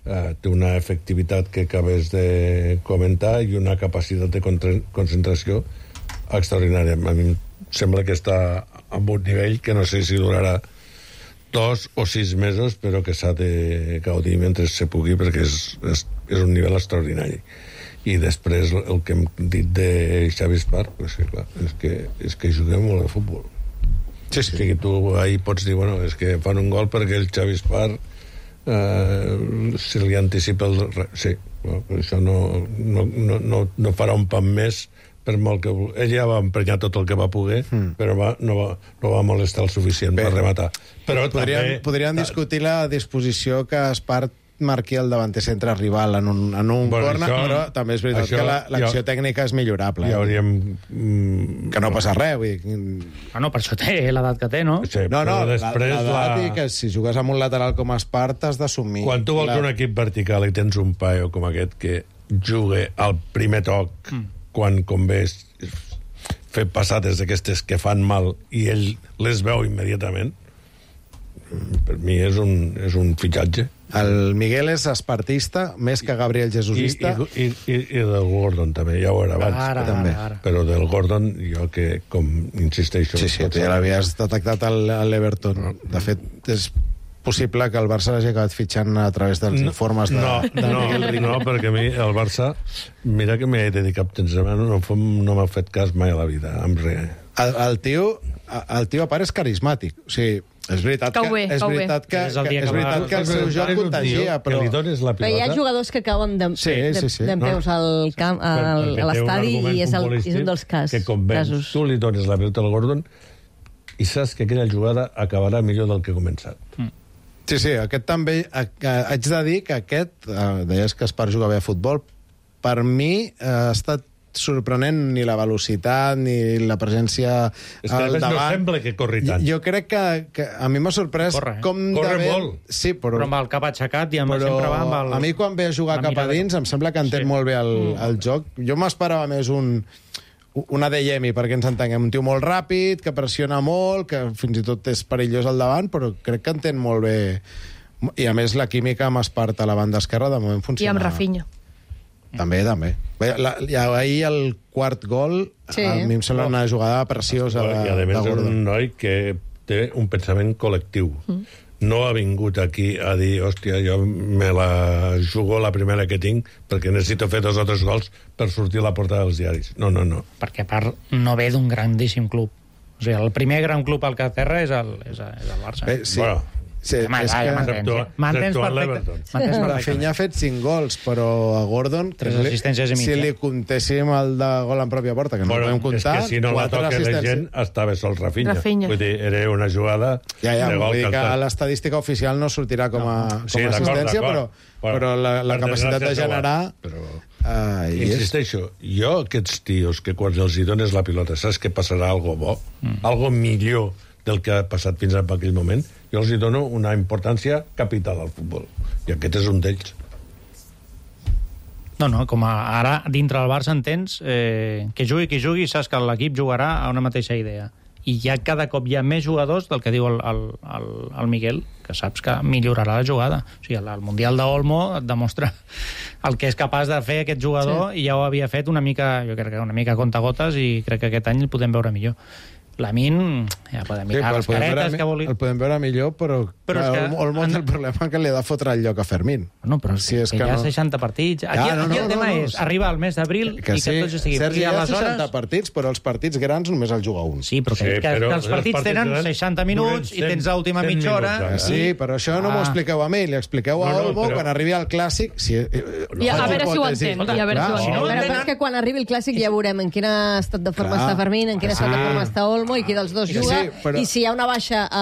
Uh, té una efectivitat que acabes de comentar i una capacitat de concentració extraordinària. A mi em sembla que està amb un nivell que no sé si durarà dos o sis mesos, però que s'ha de gaudir mentre se pugui, perquè és, és, és un nivell extraordinari. I després el que hem dit de Xavi Espar, pues, sí, clar, és, que, és que juguem molt a futbol. Sí, sí. O sigui, tu ahir pots dir, bueno, és que fan un gol perquè el Xavi Espar Uh, se li anticipa el... Sí, però això no, no, no, no farà un pan més per molt que... Ell ja va emprenyar tot el que va poder, mm. però va, no, va, no va molestar el suficient Bé, per rematar. Però podríem, també... podríem discutir la disposició que Espart marqui el davanter centre rival en un, en un bueno, corner, això, però també és veritat això, que l'acció la, tècnica és millorable. Ja hauríem... Mm, que no passa res. Vull dir... Ah, no, per això té l'edat que té, no? Sí, no, no, després l'edat la... i que si jugues amb un lateral com Espart has d'assumir... Quan tu vols la... un equip vertical i tens un paio com aquest que jugue al primer toc mm. quan convé fer passades d'aquestes que fan mal i ell les veu immediatament, per mi és un, és un fitxatge. El Miguel és espartista, més que Gabriel Jesusista. I, i, i, i del Gordon, també, ja ho era abans. Ara, també. ara, ara. Però del Gordon, jo que, com insisteixo... Sí, sí, tu ja l'havies detectat a l'Everton. De fet, és possible que el Barça l'hagi acabat fitxant a través dels no, informes de, no, de no, Miguel Rico. No, perquè a mi el Barça, mira que m'he dedicat temps a no, no m'ha fet cas mai a la vida, amb res. El, el tio, el tio a part és carismàtic, o sigui, és veritat que, bé, és veritat que, és el, que, és veritat que el seu joc contagia, però... La però hi ha jugadors que cauen d'en sí, sí, sí. peus al camp, al, a l'estadi, i és, el, és un dels cas, que convenç, casos. Tu li dones la pilota al Gordon i saps que aquella jugada acabarà millor del que ha començat. Mm. Sí, sí, aquest també... Haig de dir que aquest, eh, deies que Espar juga bé a futbol, per mi eh, ha estat sorprenent ni la velocitat ni la presència és que al davant. No sembla que corri tant. Jo crec que, que a mi m'ha sorprès corre, eh? com corre de bé... molt. Sí, però... però amb el cap aixecat i amb però sempre va amb el... A mi quan ve a jugar cap a dins em sembla que entén sí. molt bé el, el joc. Jo m'esperava més un... una Adeyemi, perquè ens entenguem, un tio molt ràpid, que pressiona molt, que fins i tot és perillós al davant, però crec que entén molt bé. I a més la química amb Espart a la banda esquerra de moment funciona. I amb Rafinha. També, també. La, ja, ahir el quart gol, sí. a mi em sembla una jugada preciosa de, I a més de és un noi que té un pensament col·lectiu. Mm. No ha vingut aquí a dir, hòstia, jo me la jugo la primera que tinc perquè necessito fer dos o tres gols per sortir a la portada dels diaris. No, no, no. Perquè a part no ve d'un grandíssim club. O sigui, el primer gran club al Caterra és el, és, és el Barça. Bé, sí. Bueno, sí, home, és ja, que... ja m'entens. M'entens perfecte. Rafinha ha fet cinc gols, però a Gordon, tres assistències i mitja. Si li comptéssim el de gol en pròpia porta, que no bueno, podem comptar, és que si no la toca la gent, estava sol Rafinha. Rafinha. Vull dir, era una jugada ja, ja, de gol. Vull dir que a l'estadística oficial no sortirà com a, no. com sí, a assistència, però, bueno, però la, la capacitat de generar... Però... Uh, i Insisteixo, és... jo aquests tios que quan els hi dones la pilota saps que passarà algo bo, mm. algo millor del que ha passat fins a aquell moment, jo els hi dono una importància capital al futbol. I aquest és un d'ells. No, no, com a, ara dintre del Barça entens eh, que jugui qui jugui, saps que l'equip jugarà a una mateixa idea. I ja cada cop hi ha més jugadors del que diu el, el, el, el Miguel, que saps que millorarà la jugada. O sigui, el Mundial d'Olmo et demostra el que és capaç de fer aquest jugador, sí. I ja ho havia fet una mica, jo crec que una mica a contagotes, i crec que aquest any el podem veure millor. Lamin, ja podem mirar sí, les caretes que vulgui. El podem veure millor, però, però clar, que, Olmo té el problema que li ha de fotre el lloc a Fermín. No, però si és que, que hi ha no... seixanta partits. Aquí, ja, no, aquí el no, tema no, no, és arribar al mes d'abril i que sí, tots estiguin. Sergi, hi ha seixanta partits, però els partits grans només el juga un. Sí, però que, sí, que, però que els partits, partits tenen seixanta minuts i tens l'última mitja hora. Sí, però això no m'ho expliqueu a mi, li expliqueu a Olmo quan arribi al Clàssic. A veure si ho entén. A veure si ho entén. Però és que quan arribi el Clàssic ja veurem en quin estat de forma està Fermín, en quin estat de forma està Olmo i qui dels dos juga. Sí, però... I si hi ha una baixa a,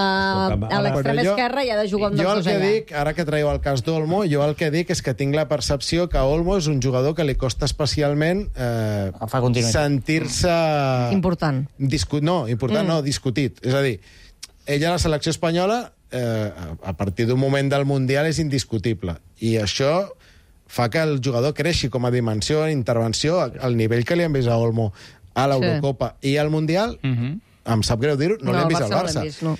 a l'extrem esquerra, hi ha de jugar amb jo dos el que allà. Dic, ara que traieu el cas d'Olmo, jo el que dic és que tinc la percepció que Olmo és un jugador que li costa especialment eh, sentir-se... Important. Discu... No, important mm. no, discutit. És a dir, ella a la selecció espanyola, eh, a partir d'un moment del Mundial, és indiscutible. I això fa que el jugador creixi com a dimensió, intervenció, al nivell que li han vist a Olmo a l'Eurocopa sí. I al Mundial... Mm-hmm. Em sap greu dir-ho, no, no l'hem vist al Barça. Vist, no.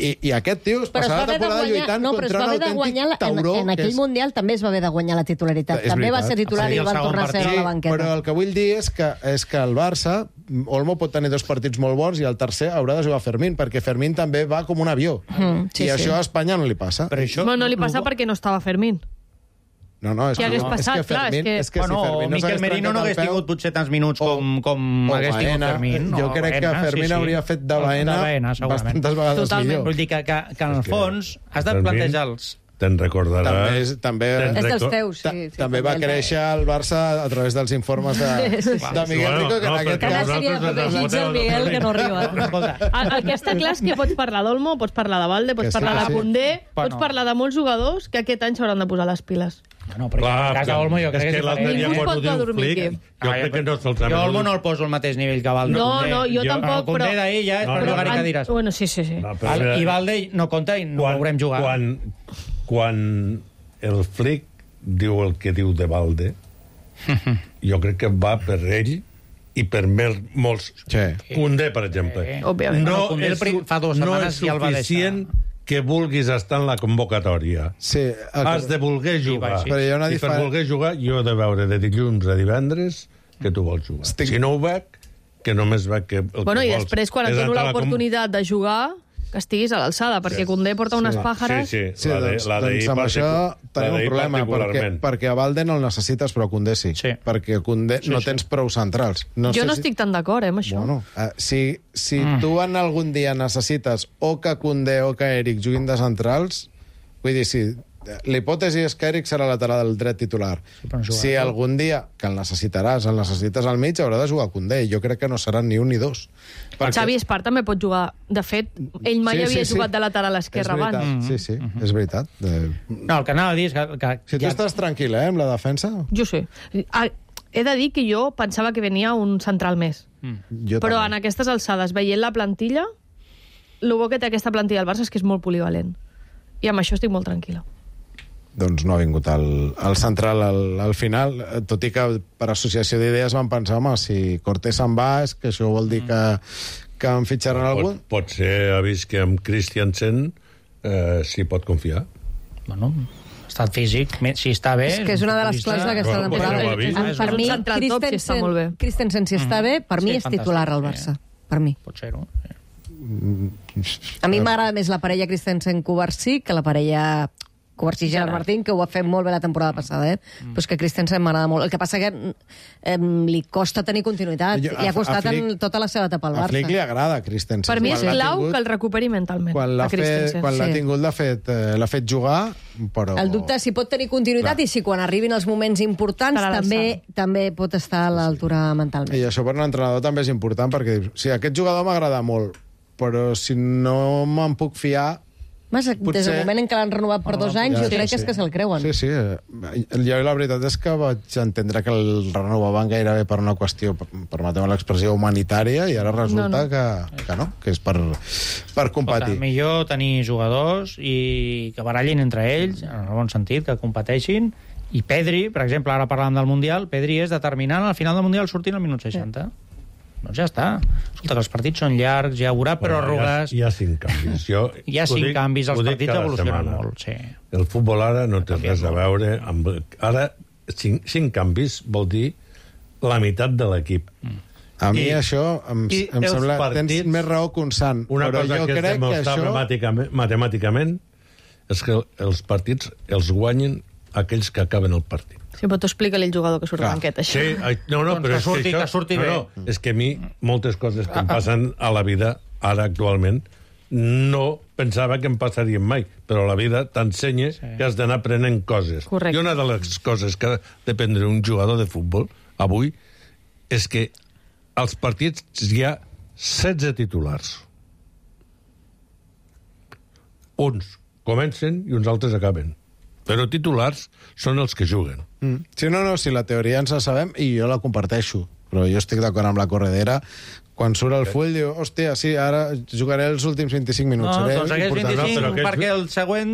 I, I aquest tio es passarà la temporada guanyar, lluitant no, contra un autèntic tauró. En, en aquell és... Mundial també es va haver de guanyar la titularitat. És també veritat. Va ser titular sí, i van tornar a ser a la banqueta. Però el que vull dir és que, és que el Barça, Olmo pot tenir dos partits molt bons i el tercer haurà de jugar Fermín, perquè Fermín també va com un avió. Mm, sí, I sí. Això a Espanya no li passa. Però això... No, no li passa perquè no estava Fermín. No, no, és que, que, passat, és que Fermín... Clar, és que, bueno, si Fermín no Miquel Merino no hagués tingut potser tants minuts com, com o hagués tingut Fermín. Jo crec Baena, que Fermín sí, sí. hauria fet de Baena, Baena bastantes vegades Totalment. millor. Vull dir que, que, que en el fons has de plantejar els... Te'n recordarà... També, és, també, és dels teus, sí. sí també va créixer el Barça a través dels informes de, de Miguel Rico, que en aquest cas... Cada sèrie de protegits del Miguel que no arriba. El que està clar és que pots parlar d'Olmo, pots parlar de Valde, pots parlar de Koundé, pots parlar de molts jugadors que aquest any s'hauran de posar les piles. Bueno, però clar, en el cas d'Olmo jo crec que és diferent. Ningú es pot dormir aquí. Jo crec que no se'ls ha... Jo Olmo no el poso al mateix nivell que Valde. No, no, jo tampoc, però... El Koundé d'ahir ja és per jugar i cadires. Bueno, sí, sí, sí. I Valde no compta i no el veurem jugar. Quan, quan el Flick diu el que diu de Valde, jo crec que va per ell i per molts... Koundé, per exemple. Òbviament. No és suficient que vulguis estar en la convocatòria. Sí, has de voler jugar. Sí. I diferent... per voler jugar, jo he de veure de dilluns a divendres que tu vols jugar. Estic... Si no ho veig, que només veig que... El bueno, que i després, quan et dono l'oportunitat com... de jugar, que estiguis a l'alçada, perquè sí. Koundé porta unes sí. pàjares... Sí, sí, sí la de, doncs, la doncs amb això tenim un problema, perquè, perquè a Valde no el necessites, però a Koundé sí. sí. Perquè a Koundé sí, no sí. tens prou centrals. No jo sé no si... estic tan d'acord, eh, amb això. Bueno, uh, si si mm. tu en algun dia necessites o que Koundé o que Eric juguin de centrals, vull dir, si... L'hipòtesi és que Eric serà lateral del dret titular. Sí, si algun dia, que el necessitaràs, el necessites al mig, haurà de jugar a Koundé. Jo crec que no seran ni un ni dos. Perquè... Xavi Espart també pot jugar. De fet, ell mai sí, havia sí, jugat sí. de lateral a l'esquerra abans. Mm -hmm. Sí, sí, mm -hmm. és veritat. De... No, el que anava a dir és que... que si tu ja... estàs tranquil, eh, amb la defensa... Jo sí. He de dir que jo pensava que venia un central més. Mm. Però també. En aquestes alçades, veient la plantilla, el bo que té aquesta plantilla del Barça és que és molt polivalent. I amb això estic molt tranquil·la. Doncs no ha vingut el, el central al, al final, tot i que per associació d'idees van pensar, home, si Cortés se'n va, és que això vol dir que, que en fitxaran pot, algú? Pot ser, ha vist que amb Christiansen eh, s'hi pot confiar. Bueno, estat físic, si està bé... És que és una de les claus d'aquesta temporada. Bueno, per mi, Christensen, Christensen, si està bé, per mi és titular al Barça. Per mi. Pot ser-ho. A mi m'agrada més la parella Christensen-Covarsí que la parella... Covarsí i Gerard Martín, que ho va fer molt bé la temporada passada, eh? Mm. Però és que Christensen m'agrada molt. El que passa que eh, li costa tenir continuïtat. Jo, li ha costat a Flick, en tota la seva etapa al Barça. A Flick li agrada Christensen. Per mi és clau tingut, que el recuperi mentalment. Quan l'ha fet, quan sí. l'ha tingut, l'ha fet, eh, l'ha fet jugar, però... El dubte és si pot tenir continuïtat Clar. I si quan arribin els moments importants també també pot estar a l'altura mentalment. I això per un entrenador també és important, perquè si aquest jugador m'agrada molt, però si no me'n puc fiar, Mas, Potser... Des del moment en què l'han renovat per dos anys, ja, jo crec sí, que és que se'l creuen. Sí, sí. Jo la veritat és que vaig entendre que el renovaven gairebé per una qüestió, permeteu l'expressió, humanitària, i ara resulta no, no. Que, que no, que és per, per competir. Escolta, millor tenir jugadors i que barallin entre ells, en el bon sentit, que competeixin. I Pedri, per exemple, ara parlàvem del Mundial, Pedri és determinant al final del Mundial sortint al minut seixanta. Sí. Doncs ja està. Escolta, que els partits són llargs, ja haurà pròrrogues... Hi ha, hi ha cinc canvis. Jo hi ha cinc dic, canvis, els partits evolucionen setmana. molt. Sí. El futbol ara no té res a veure amb... Ara, cinc, cinc canvis vol dir la meitat de l'equip. Mm. A mi I, això em, em sembla... Partits, tens més raó que un sant. Una però cosa jo que és crec demostrable que això... matemàticament és que els partits els guanyen aquells que acaben el partit. Sí, però tu explica-li al jugador que surt a banqueta, això. Sí, no, no, doncs però que surti, és que, això, que surti no, bé. No, és que a mi moltes coses que em passen a la vida, ara actualment, no pensava que em passarien mai, però la vida t'ensenya sí. que has d'anar aprenent coses. Correcte. I una de les coses que ha d'aprendre un jugador de futbol avui és que als partits hi ha setze titulars. Uns comencen i uns altres acaben. Però titulars són els que juguen. Mm. Sí, no, no, si la teoria ens la sabem i jo la comparteixo, però jo estic d'acord amb la corredera. Quan surt el full, diu, hòstia, sí, ara jugaré els últims vint-i-cinc minuts. No, doncs aquells vint-i-cinc, no, perquè el següent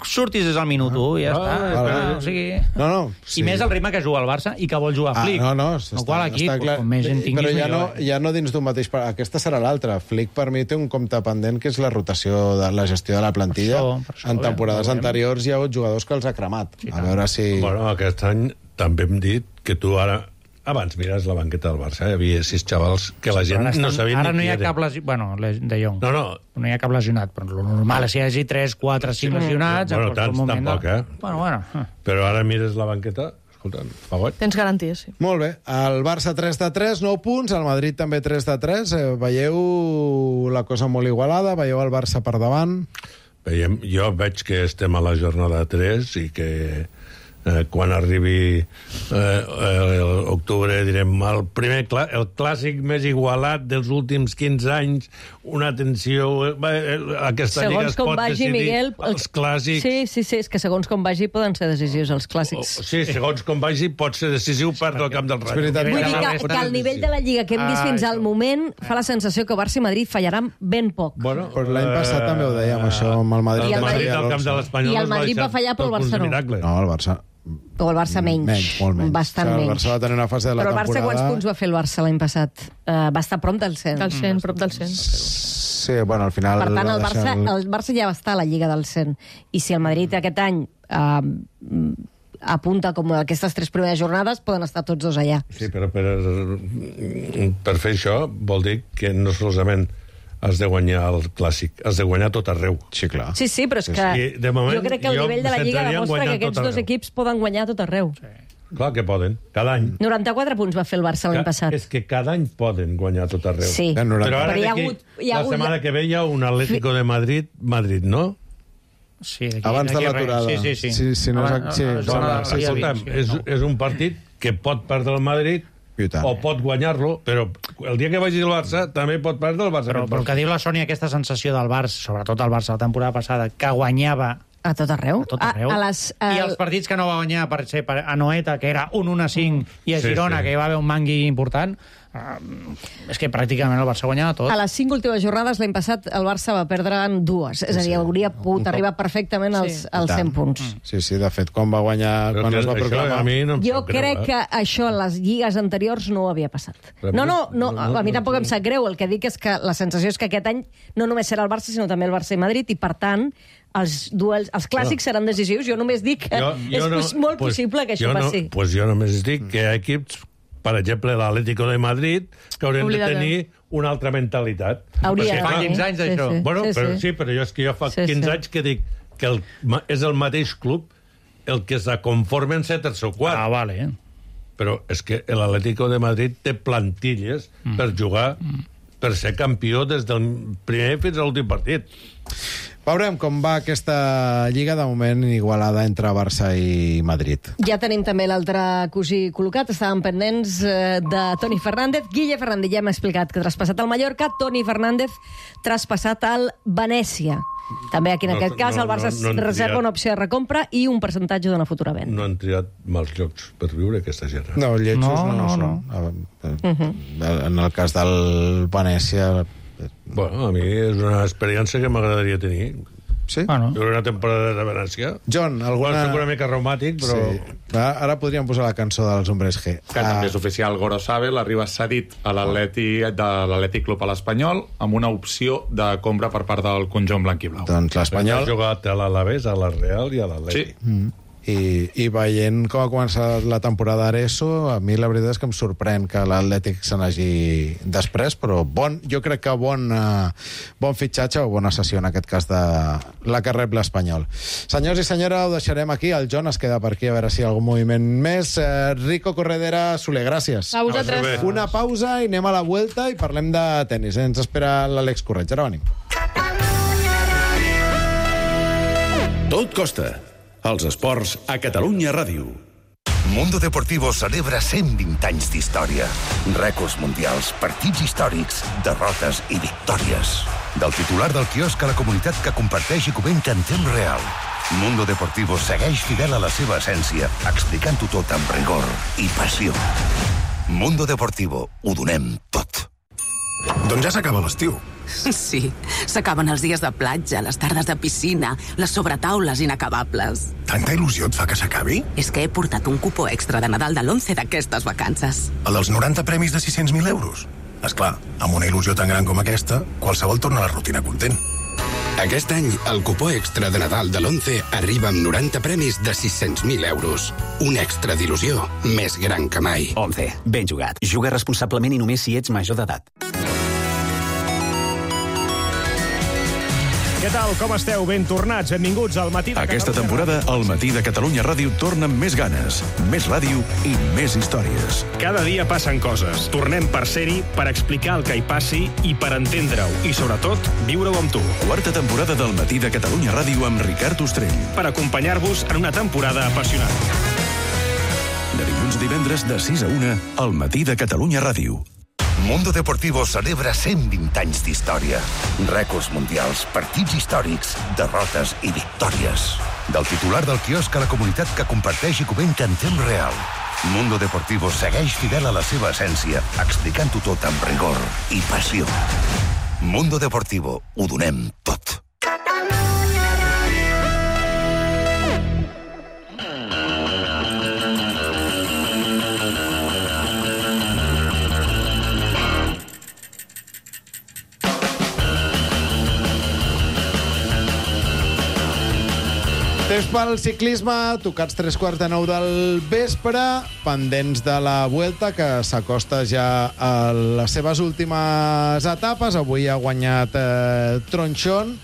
surtis des del minut u, i ja ah, està. Ah, clar, o sigui... no, no, sí. I més el ritme que juga el Barça i que vol jugar ah, Flick. No, no, no qual equip, està clar. Com més gent tinguis, però ja no, millor. ja no dins d'un mateix... Aquesta serà l'altra. Flick, per mi, té un compte pendent, que és la rotació de la gestió de la plantilla. Per això, per això, en temporades bé, anteriors hi ha hagut jugadors que els ha cremat. Sí, a veure si... Bueno, aquest any també hem dit que tu ara... Abans mires la banqueta del Barça, hi havia sis xavals que la gent estan, no sabia ara ni no hi ha qui cap lesionat, bueno, de Jong. No, no. No hi ha cap lesionat, però el normal és que hi hagi tres, quatre, cinc lesionats. Bueno, tants tampoc, eh? Bueno, bueno. Però ara mires la banqueta, escolta, fa goig. Tens garanties, sí. Molt bé. El Barça tres de tres, nou punts, el Madrid també tres de tres. Eh, veieu la cosa molt igualada? Veieu el Barça per davant? Veiem, jo veig que estem a la jornada tres i que... Eh, quan arribi eh, eh, octubre direm el primer clà el clàssic més igualat dels últims quinze anys, una tensió eh, aquesta segons lliga es pot vagi, decidir Miguel, els clàssics sí, sí, sí, és que segons com vagi poden ser decisius els clàssics. oh, sí, segons com vagi pot ser decisiu per del camp del Rayo. Vull dir que, que al nivell de la Lliga que hem vist fins al moment fa la sensació que Barça i Madrid fallaran ben poc. Bueno, però l'any passat també ho dèiem això amb el Madrid. I el Madrid, el camp de l'Espanyol i el Madrid va fallar però el Barça no. No, el Barça o el Barça menys, menys, molt menys. Bastant o sigui, el menys. Barça va tenir una fase de la però el Barça temporada... quants punts va fer el Barça l'any passat? Uh, va estar prop del cent. Del cent, prop del cent. Sí, bueno, al final... Per tant, el Barça, el Barça ja va estar a la Lliga del cent. I si el Madrid aquest any uh, apunta com aquestes tres primeres jornades, poden estar tots dos allà. Sí, però per, per fer això vol dir que no solament has de guanyar el clàssic, has de guanyar tot arreu. Sí, clar. Sí, sí, però és que sí, de moment, jo crec que el nivell de la Lliga demostra que aquests dos equips poden guanyar tot arreu. Sí. Clar que poden, cada any. noranta-quatre punts va fer el Barça l'any passat. És que cada any poden guanyar tot arreu. Sí, però ara però hi ha hagut... Hi ha la hagut... setmana que ve hi ha un Atlético de Madrid, Madrid, no? Sí, aquí, abans de l'aturada. Sí, sí, sí. sí, sí, no, abans, sí, abans, sí, abans, sí, sí, escolta'm, sí, és, no. és un partit que pot perdre el Madrid o pot guanyar-lo, però el dia que vagi el Barça també pot perdre el Barça. Però, però el que diu la Sònia, aquesta sensació del Barça, sobretot el Barça la temporada passada, que guanyava a tot arreu. A tot arreu. A, a les, a... I els partits que no va guanyar, per ser per a Noeta, que era un un a cinc, i a sí, Girona, sí. que hi va haver un mangui important, uh, és que pràcticament el Barça guanyava tot. A les cinc últimes jornades l'any passat el Barça va perdre en dues. És a dir, hauria pogut arribar perfectament als, sí. als cent punts. Sí, sí, de fet, quan va guanyar... Però quan es va proclamar... A mi no em jo sap greu, crec eh? que això en les lligues anteriors no ho havia passat. No, no, no, a mi tampoc em sap greu. El que dic és que la sensació és que aquest any no només serà el Barça, sinó també el Barça i Madrid, i per tant els duels, els clàssics no. seran decisius. Jo només dic que jo, jo és no, molt pues, possible que això no, passi. Doncs pues jo només dic que hi ha equips, per exemple, l'Atlético de Madrid, que haurien Oblida de tenir que... una altra mentalitat. Hauria. Fa quinze anys, d'això. Sí, sí. Bueno, sí, però, sí. sí, però jo, és que jo fa sí, quinze sí. anys que dic que el, és el mateix club el que se conformen set o quatre. Ah, vale. Eh? Però és que l'Atlético de Madrid té plantilles mm. per jugar, mm. per ser campió des del primer fins a l'últim partit. Veurem com va aquesta lliga, de moment igualada entre Barça i Madrid. Ja tenim també l'altre cosí col·locat. Estàvem pendents eh, de Toni Fernández. Guille Fernández, ja hem explicat que traspassat al Mallorca. Toni Fernández traspassat al Venècia. També aquí en no, aquest cas no, el Barça no, no reserva triat, una opció de recompra i un percentatge d'una futura venda. No han triat mals llocs per viure, aquesta gent. No, lletjos no, no, no, no, no. Uh-huh. En el cas del Venècia... Bueno, a mi és una experiència que m'agradaria tenir. Sí? Bueno. Viure una temporada de Venècia. John, alguna... Bueno, soc una mica reumàtic, però... Sí. Ara podríem posar la cançó dels Hombres G. Que ah. també és oficial. Gorosabel arriba cedit a l'Atlètic de l'Atlètic Club a l'Espanyol amb una opció de compra per part del conjunt blanc-i-blau. Doncs l'Espanyol... Ha jugat a l'Alavés, a la Real i a l'Atlètic. Sí. Mm. I, i veient com ha començat la temporada d'Areso, a mi la veritat és que em sorprèn que l'Atlètic se n'hagi després, però bon, jo crec que bon, uh, bon fitxatge o bona sessió en aquest cas de la que rep l'Espanyol. Senyors i senyora, ho deixarem aquí. El John es queda per aquí a veure si hi ha algun moviment més. Uh, Rico Corredera, Soler, gràcies. A vosaltres. Una pausa i anem a la vuelta i parlem de tenis. Ens espera l'Àlex Correig. Ara venim. Tot costa. Els esports a Catalunya Ràdio. Mundo Deportivo celebra cent vint anys d'història. Rècords mundials, partits històrics, derrotes i victòries. Del titular del quiosc a la comunitat que comparteix i comenta en temps real. Mundo Deportivo segueix fidel a la seva essència, explicant-ho tot amb rigor i passió. Mundo Deportivo, ho donem tot. Doncs ja s'acaba l'estiu. Sí, s'acaben els dies de platja, les tardes de piscina, les sobretaules inacabables. Tanta il·lusió et fa que s'acabi? És que he portat un cupó extra de Nadal de l'once d'aquestes vacances. El dels noranta premis de sis-cents mil euros? Esclar, amb una il·lusió tan gran com aquesta, qualsevol torna a la rutina content. Aquest any, el cupó extra de Nadal de l'once arriba amb noranta premis de sis-cents mil euros. Un extra d'il·lusió més gran que mai. once. Ben jugat. Juga responsablement i només si ets major d'edat. Què tal? Com esteu? Ben tornats. Benvinguts al Matí de Catalunya. Aquesta temporada, el Matí de Catalunya Ràdio torna amb més ganes, més ràdio i més històries. Cada dia passen coses. Tornem per ser-hi, per explicar el que hi passi i per entendre-ho. I, sobretot, viure-ho amb tu. Quarta temporada del Matí de Catalunya Ràdio amb Ricard Ostrell. Per acompanyar-vos en una temporada apassionant. De dilluns a divendres, de sis a una, al Matí de Catalunya Ràdio. Mundo Deportivo celebra cent vint anys d'història. Rècords mundials, partits històrics, derrotes i victòries. Del titular del quiosc a la comunitat que comparteix i comenta en temps real. Mundo Deportivo segueix fidel a la seva essència, explicant-ho tot amb rigor i passió. Mundo Deportivo, ho donem tot. Temps pel ciclisme, tocats tres quarts de nou del vespre, pendents de la Vuelta, que s'acosta ja a les seves últimes etapes. Avui ha guanyat eh, Tronchón.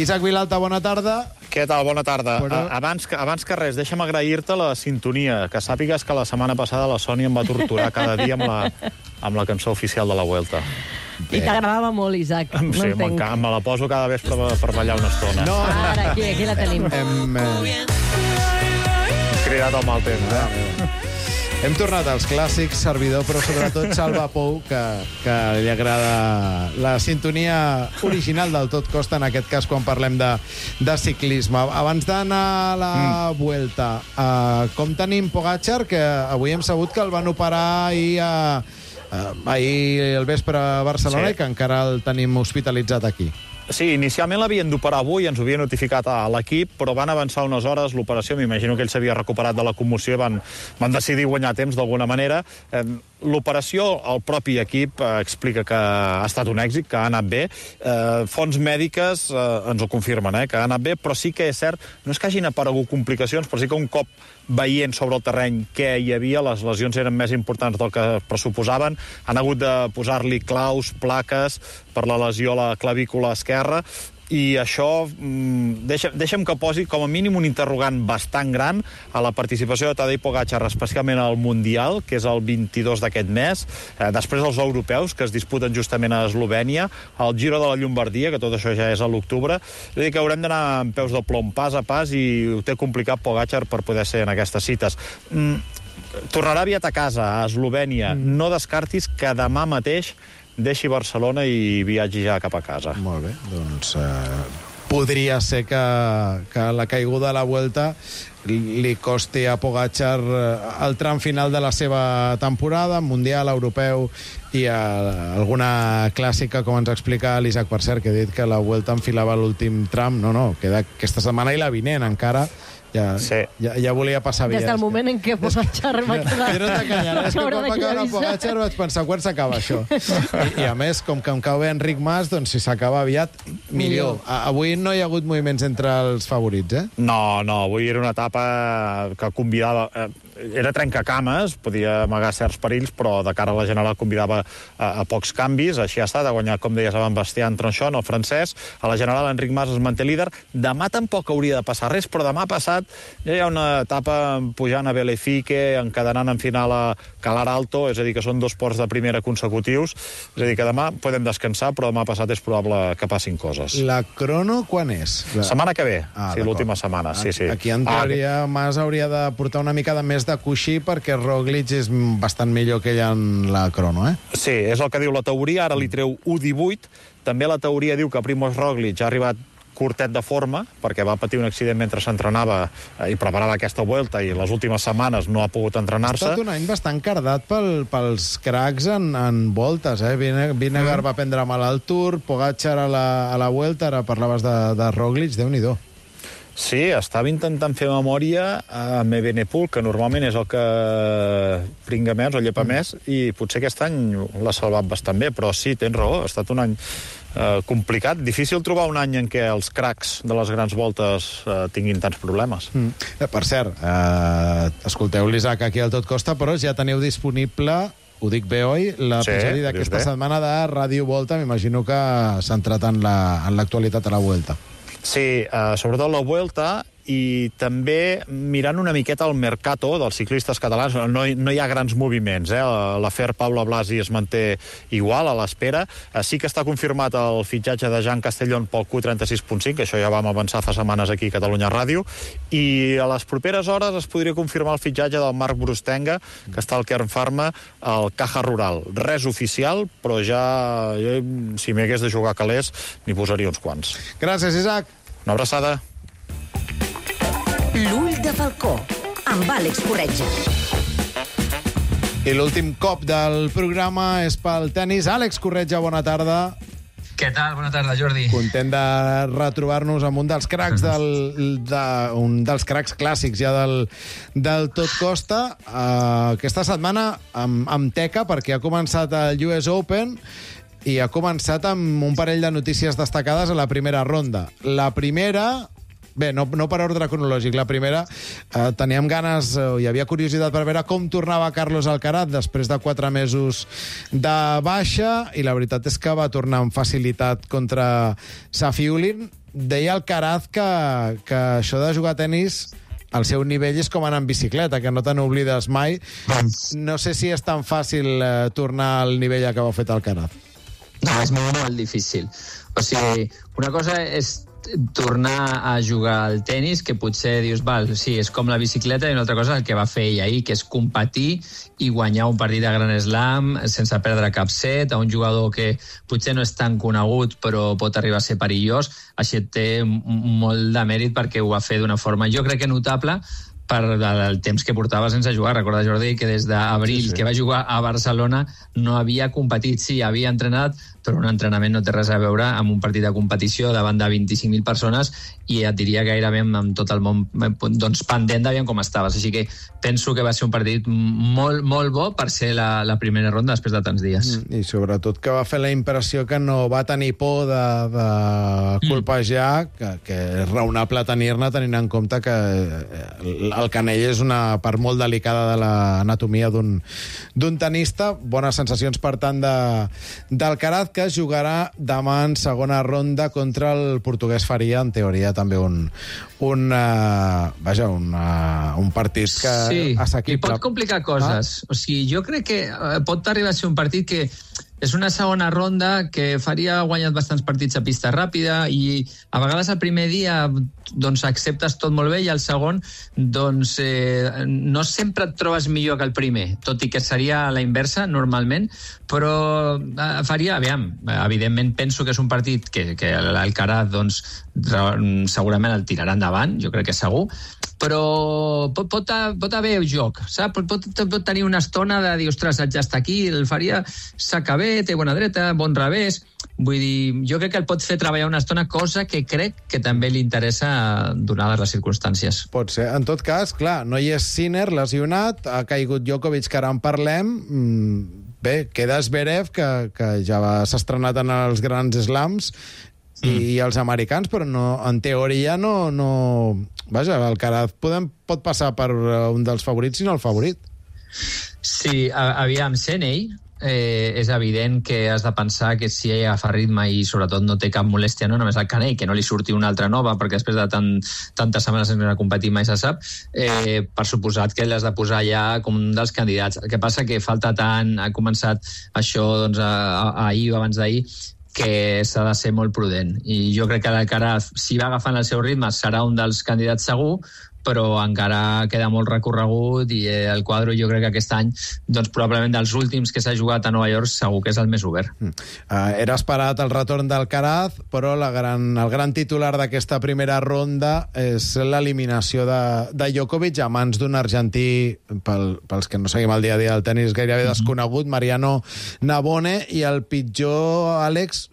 Isaac Vilalta, bona tarda. Què tal? Bona tarda. Però... Abans, abans que res, deixa'm agrair-te la sintonia. Que sàpigues que la setmana passada la Sònia em va torturar cada dia amb la, amb la cançó oficial de la Vuelta. I t'agradava molt, Isaac. No sí, entenc. me la poso cada vespre per, per ballar una estona. No, ara, aquí, aquí la tenim. Hem, eh... cridat al mal temps, eh? Hem tornat als clàssics, servidor, però sobretot Salva Pou, que, que li agrada la sintonia original del Tot Costa, en aquest cas quan parlem de, de ciclisme. Abans d'anar a la mm. Vuelta, uh, com tenim Pogačar, que avui hem sabut que el van operar ahir a... Uh, ahir el vespre a Barcelona, sí. I que encara el tenim hospitalitzat aquí. Sí, inicialment l'havien d'operar avui, ens ho havia notificat a l'equip, però van avançar unes hores l'operació, m'imagino que ell s'havia recuperat de la commoció i van, van decidir guanyar temps d'alguna manera. Eh, L'operació, el propi equip eh, explica que ha estat un èxit, que ha anat bé. Eh, fonts mèdiques eh, ens ho confirmen, eh, que ha anat bé, però sí que és cert, no és que hagin aparegut complicacions, però sí que un cop veient sobre el terreny què hi havia, les lesions eren més importants del que pressuposaven, han hagut de posar-li claus, plaques per la lesió a la clavícula esquerra. i això mm, deixa, deixa'm que posi com a mínim un interrogant bastant gran a la participació de Tadej Pogačar, especialment al Mundial, que és el vint-i-dos d'aquest mes, eh, després els europeus, que es disputen justament a Eslovènia, el Giro de la Llombardia, que tot això ja és a l'octubre. És a dir, que haurem d'anar amb peus de plom, pas a pas, i ho té complicat Pogačar per poder ser en aquestes cites. Mm, tornarà aviat a casa, a Eslovènia. Mm. No descartis que demà mateix deixi Barcelona i viatgi ja cap a casa. Molt bé, doncs eh, podria ser que, que la caiguda a la Vuelta li costi a Pogačar el tram final de la seva temporada, Mundial, Europeu i a, alguna clàssica, com ens explica l'Isaac, per cert, que ha dit que la Vuelta enfilava l'últim tram. No, no, queda aquesta setmana i la vinent encara. Ja, sí. ja, ja volia passar Des del moment en què Pogačar va quedar... Jo no t'enganyaré, és que quan va acabar Pogačar vaig pensar, quan s'acaba això? I, I a més, com que em cau bé Enric Mas, doncs si s'acaba aviat, millor. A, avui no hi ha hagut moviments entre els favorits, eh? No, no, avui era una etapa que convidava... Eh, era trencacames, podia amagar certs perills, però de cara a la general convidava a, a pocs canvis. Així ha estat, ha guanyat, com deies, avant Bastien Tronchon, el francès. A la general, Enric Mas es manté líder. Demà tampoc hauria de passar res, però demà passat ja hi ha una etapa pujant a Belefique, encadenant en final a Calar Alto, és a dir, que són dos ports de primera consecutius. És a dir, que demà podem descansar, però demà passat és probable que passin coses. La crono quan és? La... Setmana que ve, ah, sí, l'última setmana. Sí, sí. Aquí, en teoria, ah, Mas hauria de portar una mica de més de coixí perquè Roglic és bastant millor que ell en la crono, eh? Sí, és el que diu la teoria, ara li treu u divuit. També la teoria diu que Primož Roglic ha arribat curtet de forma, perquè va patir un accident mentre s'entrenava eh, i preparava aquesta Vuelta, i les últimes setmanes no ha pogut entrenar-se. Ha estat un any bastant cardat pel, pels cracs en, en voltes, eh? Vinegar mm. va prendre mal al Tour, Pogačar a la, a la Vuelta, ara parlaves de, de Roglic, Déu-n'hi-do. Sí, estava intentant fer memòria amb Evenepoel, que normalment és el que pringa més o llepa mm. més, i potser aquest any l'ha salvat bastant bé, però sí, tens raó, ha estat un any eh, complicat. Difícil trobar un any en què els cracs de les grans voltes eh, tinguin tants problemes. Mm. Eh, per cert, eh, escolteu l'Isaac aquí al Tot Costa, però ja teniu disponible, ho dic bé, oi, l'episodi sí, d'aquesta setmana de Ràdio Volta. M'imagino que centrat en l'actualitat la, a la Vuelta. Sí, eh, sobretot la Vuelta, i també mirant una miqueta el mercato dels ciclistes catalans. No, no hi ha grans moviments, eh? L'afer Pablo Blasi es manté igual, a l'espera. Sí que està confirmat el fitxatge de Jean Castellón pel Q trenta-sis punt cinc, això ja vam avançar fa setmanes aquí a Catalunya Ràdio, i a les properes hores es podria confirmar el fitxatge del Marc Brustenga, que està al Kern Pharma, al Caja Rural. Res oficial, però ja, jo, si m'hi hagués de jugar calés, n'hi posaria uns quants. Gràcies, Isaac. Una abraçada. L'ull de Falcó, amb Àlex Corretja. I l'últim cop del programa és pel tenis. Àlex Corretja, bona tarda. Què tal? Bona tarda, Jordi. Content de retrobar-nos amb un dels cracs del, de, un dels cracs clàssics ja del, del Tot Costa. Uh, aquesta setmana amb, amb teca, perquè ha començat el U S Open i ha començat amb un parell de notícies destacades a la primera ronda. La primera... Bé, no, no per ordre cronològic. La primera, eh, teníem ganes, eh, hi havia curiositat per veure com tornava Carlos Alcaraz després de quatre mesos de baixa, i la veritat és que va tornar amb facilitat contra Safiullin. Deia Alcaraz que, que això de jugar a tenis, el seu nivell és com anar en bicicleta, que no te n'oblides mai. No sé si és tan fàcil eh, tornar al nivell a què va fet Alcaraz. No, és molt, molt difícil. O sigui, una cosa és tornar a jugar al tennis, que potser dius, val, sí, és com la bicicleta, i una altra cosa és el que va fer ell ahir, que és competir i guanyar un partit de Grand Slam sense perdre cap set, a un jugador que potser no és tan conegut però pot arribar a ser perillós. Així té molt de mèrit perquè ho va fer d'una forma, jo crec que notable, per el temps que portava sense jugar. Recorda, Jordi, que des d'abril sí, sí. que va jugar a Barcelona no havia competit. Sí, havia entrenat, però un entrenament no té res a veure amb un partit de competició davant de vint-i-cinc mil persones, i et diria gairebé amb tot el món doncs, pendent d'aviam com estaves. Així que penso que va ser un partit molt, molt bo per ser la, la primera ronda després de tants dies. I sobretot que va fer la impressió que no va tenir por de, de colpejar, que, que és raonable tenir-ne, tenint en compte que el canell és una part molt delicada de l'anatomia d'un tenista. Bones sensacions, per tant, de, d'Alcaraz. que jugarà demà en segona ronda contra el portuguès Faria, en teoria també un, un, uh, vaja, un, uh, un partit que sí, assequible. I pot complicar coses. Ah? O sigui, jo crec que uh, pot arribar a ser un partit que és una segona ronda que Faria ha guanyat bastants partits a pista ràpida i a vegades el primer dia doncs acceptes tot molt bé i el segon doncs eh, no sempre et trobes millor que el primer, tot i que seria la inversa normalment, però eh, Faria, aviam, evidentment penso que és un partit que, que l'Alcaraz doncs segurament el tirarà endavant, jo crec que segur, però pot, pot, pot haver joc, saps? Pot, pot, pot tenir una estona de dir, ostres, ja està aquí, el Faria saca bé, té bona dreta, bon revés. Vull dir, jo crec que el pot fer treballar una estona, cosa que crec que també li interessa donades les circumstàncies. Pot ser. En tot cas, clar, no hi és Sinner, lesionat, ha caigut Djokovic, que ara en parlem. Bé, queda Zverev, que, que ja s'ha estrenat en els grans slams, i, mm. i els americans, però no, en teoria no... no... Vaja, el Alcaraz podem, pot passar per un dels favorits, si no el favorit. Sí, aviam, Seney, eh, és evident que has de pensar que si ell agafa ritme i sobretot no té cap molèstia, no només al Canell, que no li surti una altra nova, perquè després de tan, tantes setmanes sense competir mai se sap, eh, per suposat que l'has de posar ja com un dels candidats. El que passa que falta tant, ha començat això doncs, ahir o abans d'ahir, que s'ha de ser molt prudent. I jo crec que l'Alcaraz, si va agafant el seu ritme, serà un dels candidats segur, però encara queda molt recorregut i el quadre jo crec que aquest any doncs probablement dels últims que s'ha jugat a Nova York segur que és el més obert. Mm. Uh, era esperat el retorn d'Alcaraz, però la gran, el gran titular d'aquesta primera ronda és l'eliminació de, de Djokovic a mans d'un argentí, pel, pels que no seguim el dia a dia del tenis gairebé mm-hmm. desconegut, Mariano Navone, i el pitjor, Àlex,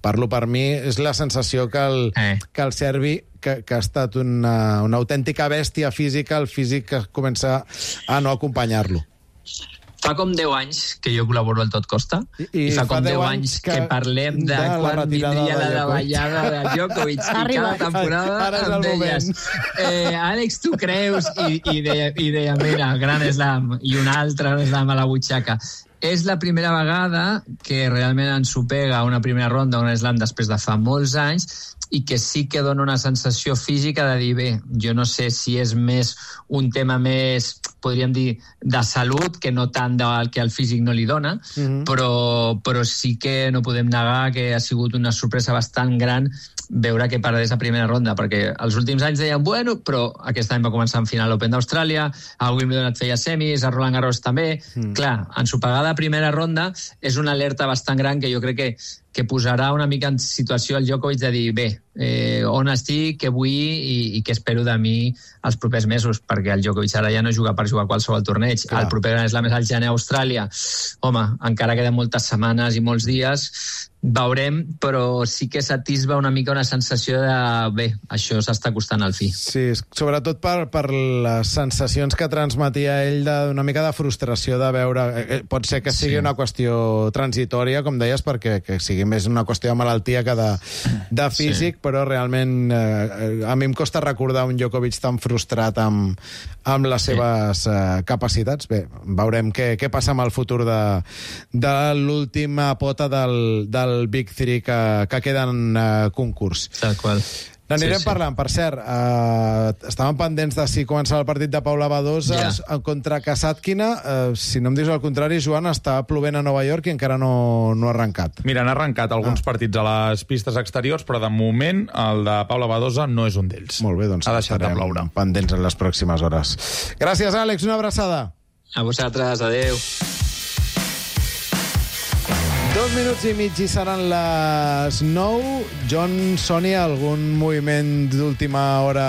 parlo per mi, és la sensació que el, eh. que el serbi Que, que ha estat una, una autèntica bèstia física, el físic que comença a no acompanyar-lo. Fa com deu anys que jo col·laboro al Tot Costa i, i, i fa com deu anys que, que parlem de, de quan vindria la davallada de Djokovic i cada temporada ara, ara em deies eh, Àlex, tu creus? I, i, deia, i deia, mira, gran slam i un altre slam a la butxaca. És la primera vegada que realment ens ho pega una primera ronda, un slam després de fa molts anys, i que sí que dona una sensació física de dir, bé, jo no sé si és més un tema més, podríem dir, de salut, que no tant del que el físic no li dona, mm-hmm. però, però sí que no podem negar que ha sigut una sorpresa bastant gran veure que perdés a primera ronda, perquè els últims anys deien, bueno, però aquest any va començar en final l'Open d'Austràlia, a Wimbledon et feia semis, a Roland Garros també. Mm. Clar, ensopegada a primera ronda és una alerta bastant gran que jo crec que que posarà una mica en situació el Djokovic de dir, bé, eh, on estic, què vull i, i què espero de mi els propers mesos, perquè el Djokovic ara ja no juga per jugar qualsevol torneig. Clar. El proper Grand Slam és al gener a Austràlia. Home, encara queden moltes setmanes i molts dies, veurem, però sí que s'atisba una mica una sensació de, bé, això s'està costant al fi. Sí, sobretot per, per les sensacions que transmetia ell d'una mica de frustració de veure... Eh, pot ser que sigui sí. una qüestió transitòria, com deies, perquè que sigui més una qüestió de malaltia que de, de físic, sí. però realment eh, a mi em costa recordar un Djokovic tan frustrat amb, amb les sí. seves eh, capacitats. Bé, veurem què, què passa amb el futur de, de l'última pota del, del Big Three que, que queda en eh, concurs. Tal qual. N'anirem sí, sí. parlant. Per cert, eh, estàvem pendents de si començava el partit de Paula Badosa yeah. contra Kasatkina. Eh, si no em dius el contrari, Joan, està plovent a Nova York i encara no, no ha arrencat. Mira, han arrencat alguns ah. partits a les pistes exteriors, però de moment el de Paula Badosa no és un d'ells. Molt bé, doncs ha deixat de ploure. Pendents en les pròximes hores. Gràcies, Àlex. Una abraçada. A vosaltres. Adéu. Dos minuts i mig i seran les nou. John, Sònia, algun moviment d'última hora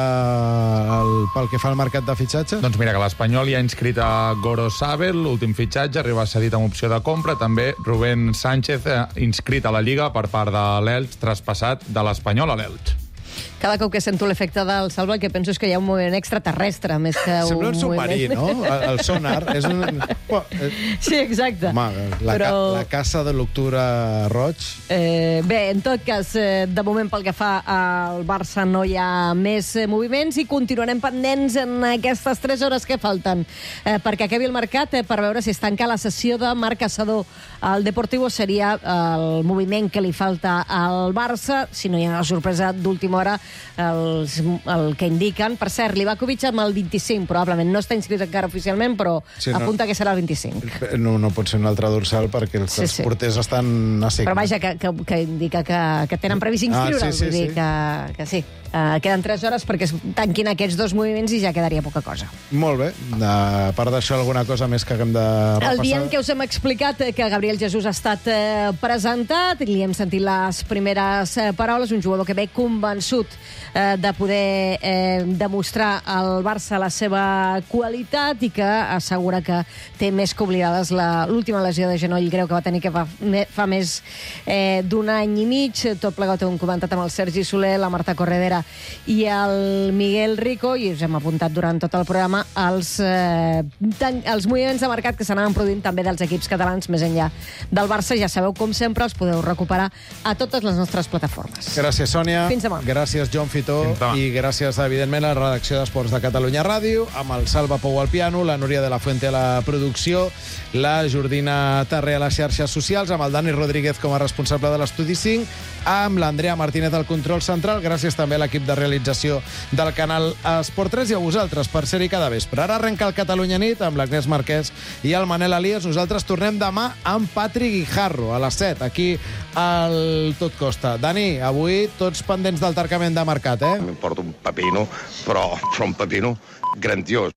el, pel que fa al mercat de fitxatge? Doncs mira, que l'Espanyol ja ha inscrit a Gorosabel, l'últim fitxatge, arriba cedit amb opció de compra. També Rubén Sánchez, eh, inscrit a la Lliga per part de l'Elx, traspassat de l'Espanyol a l'Elx. Cada cop que sento l'efecte del Salva, el que penso és que hi ha un moviment extraterrestre, més que un Sembla un submarí, moviment... no? El, el sonar és un... Sí, exacte. Home, la, Però... ca, la caça de l'octubre roig... Eh, bé, en tot cas, eh, de moment pel que fa al Barça no hi ha més eh, moviments i continuarem pendents en aquestes tres hores que falten eh, perquè acabi el mercat eh, per veure si es tanca la sessió de Marc Caçador. El Deportivo seria el moviment que li falta al Barça, si no hi ha una sorpresa d'última hora, els, el que indiquen. Per cert, Livakovic amb el vint-i-cinc, probablement no està inscrit encara oficialment, però sí, no, apunta que serà el vint-i-cinc. No, no pot ser un altre dorsal perquè els, sí, sí. els porters estan a sec. Però vaja, que, que, que indica que, que tenen previst inscriure'l, ah, sí, sí, vull dir sí. que, que sí. Uh, queden tres hores perquè es tanquin aquests dos moviments i ja quedaria poca cosa. Molt bé. A part d'això, alguna cosa més que haguem de repassar? El dia en què us hem explicat que Gabriel Jesús ha estat eh, presentat, li hem sentit les primeres eh, paraules, un jugador que ve convençut eh, de poder eh, demostrar al Barça la seva qualitat i que assegura que té més que oblidades l'última lesió de genoll greu que va tenir que fa, me, fa més eh, d'un any i mig. Tot plegat ho hem comentat amb el Sergi Soler, la Marta Corredera i el Miguel Rico, i us hem apuntat durant tot el programa els, eh, tan, els moviments de mercat que s'anaven produint també dels equips catalans més enllà del Barça. Ja sabeu, com sempre, els podeu recuperar a totes les nostres plataformes. Gràcies, Sònia. Fins demà. Gràcies, Joan Fitó. I gràcies, evidentment, a la redacció d'Esports de Catalunya Ràdio, amb el Salva Pou al piano, la Núria de la Fuente a la producció, la Jordina Tarré a les xarxes socials, amb el Dani Rodríguez com a responsable de l'Estudi cinc, amb l'Andrea Martínez al control central. Gràcies també a l'equip de realització del canal Esport tres i a vosaltres per ser-hi cada vespre. Ara arrenca el Catalunya Nit amb l'Agnès Marquès i el Manel Elias. Nosaltres tornem demà amb Patri Guijarro a les set, aquí al Tot Costa. Dani, avui tots pendents del tancament de mercat, eh? M'importa un pepino, però, però un pepino grandiós.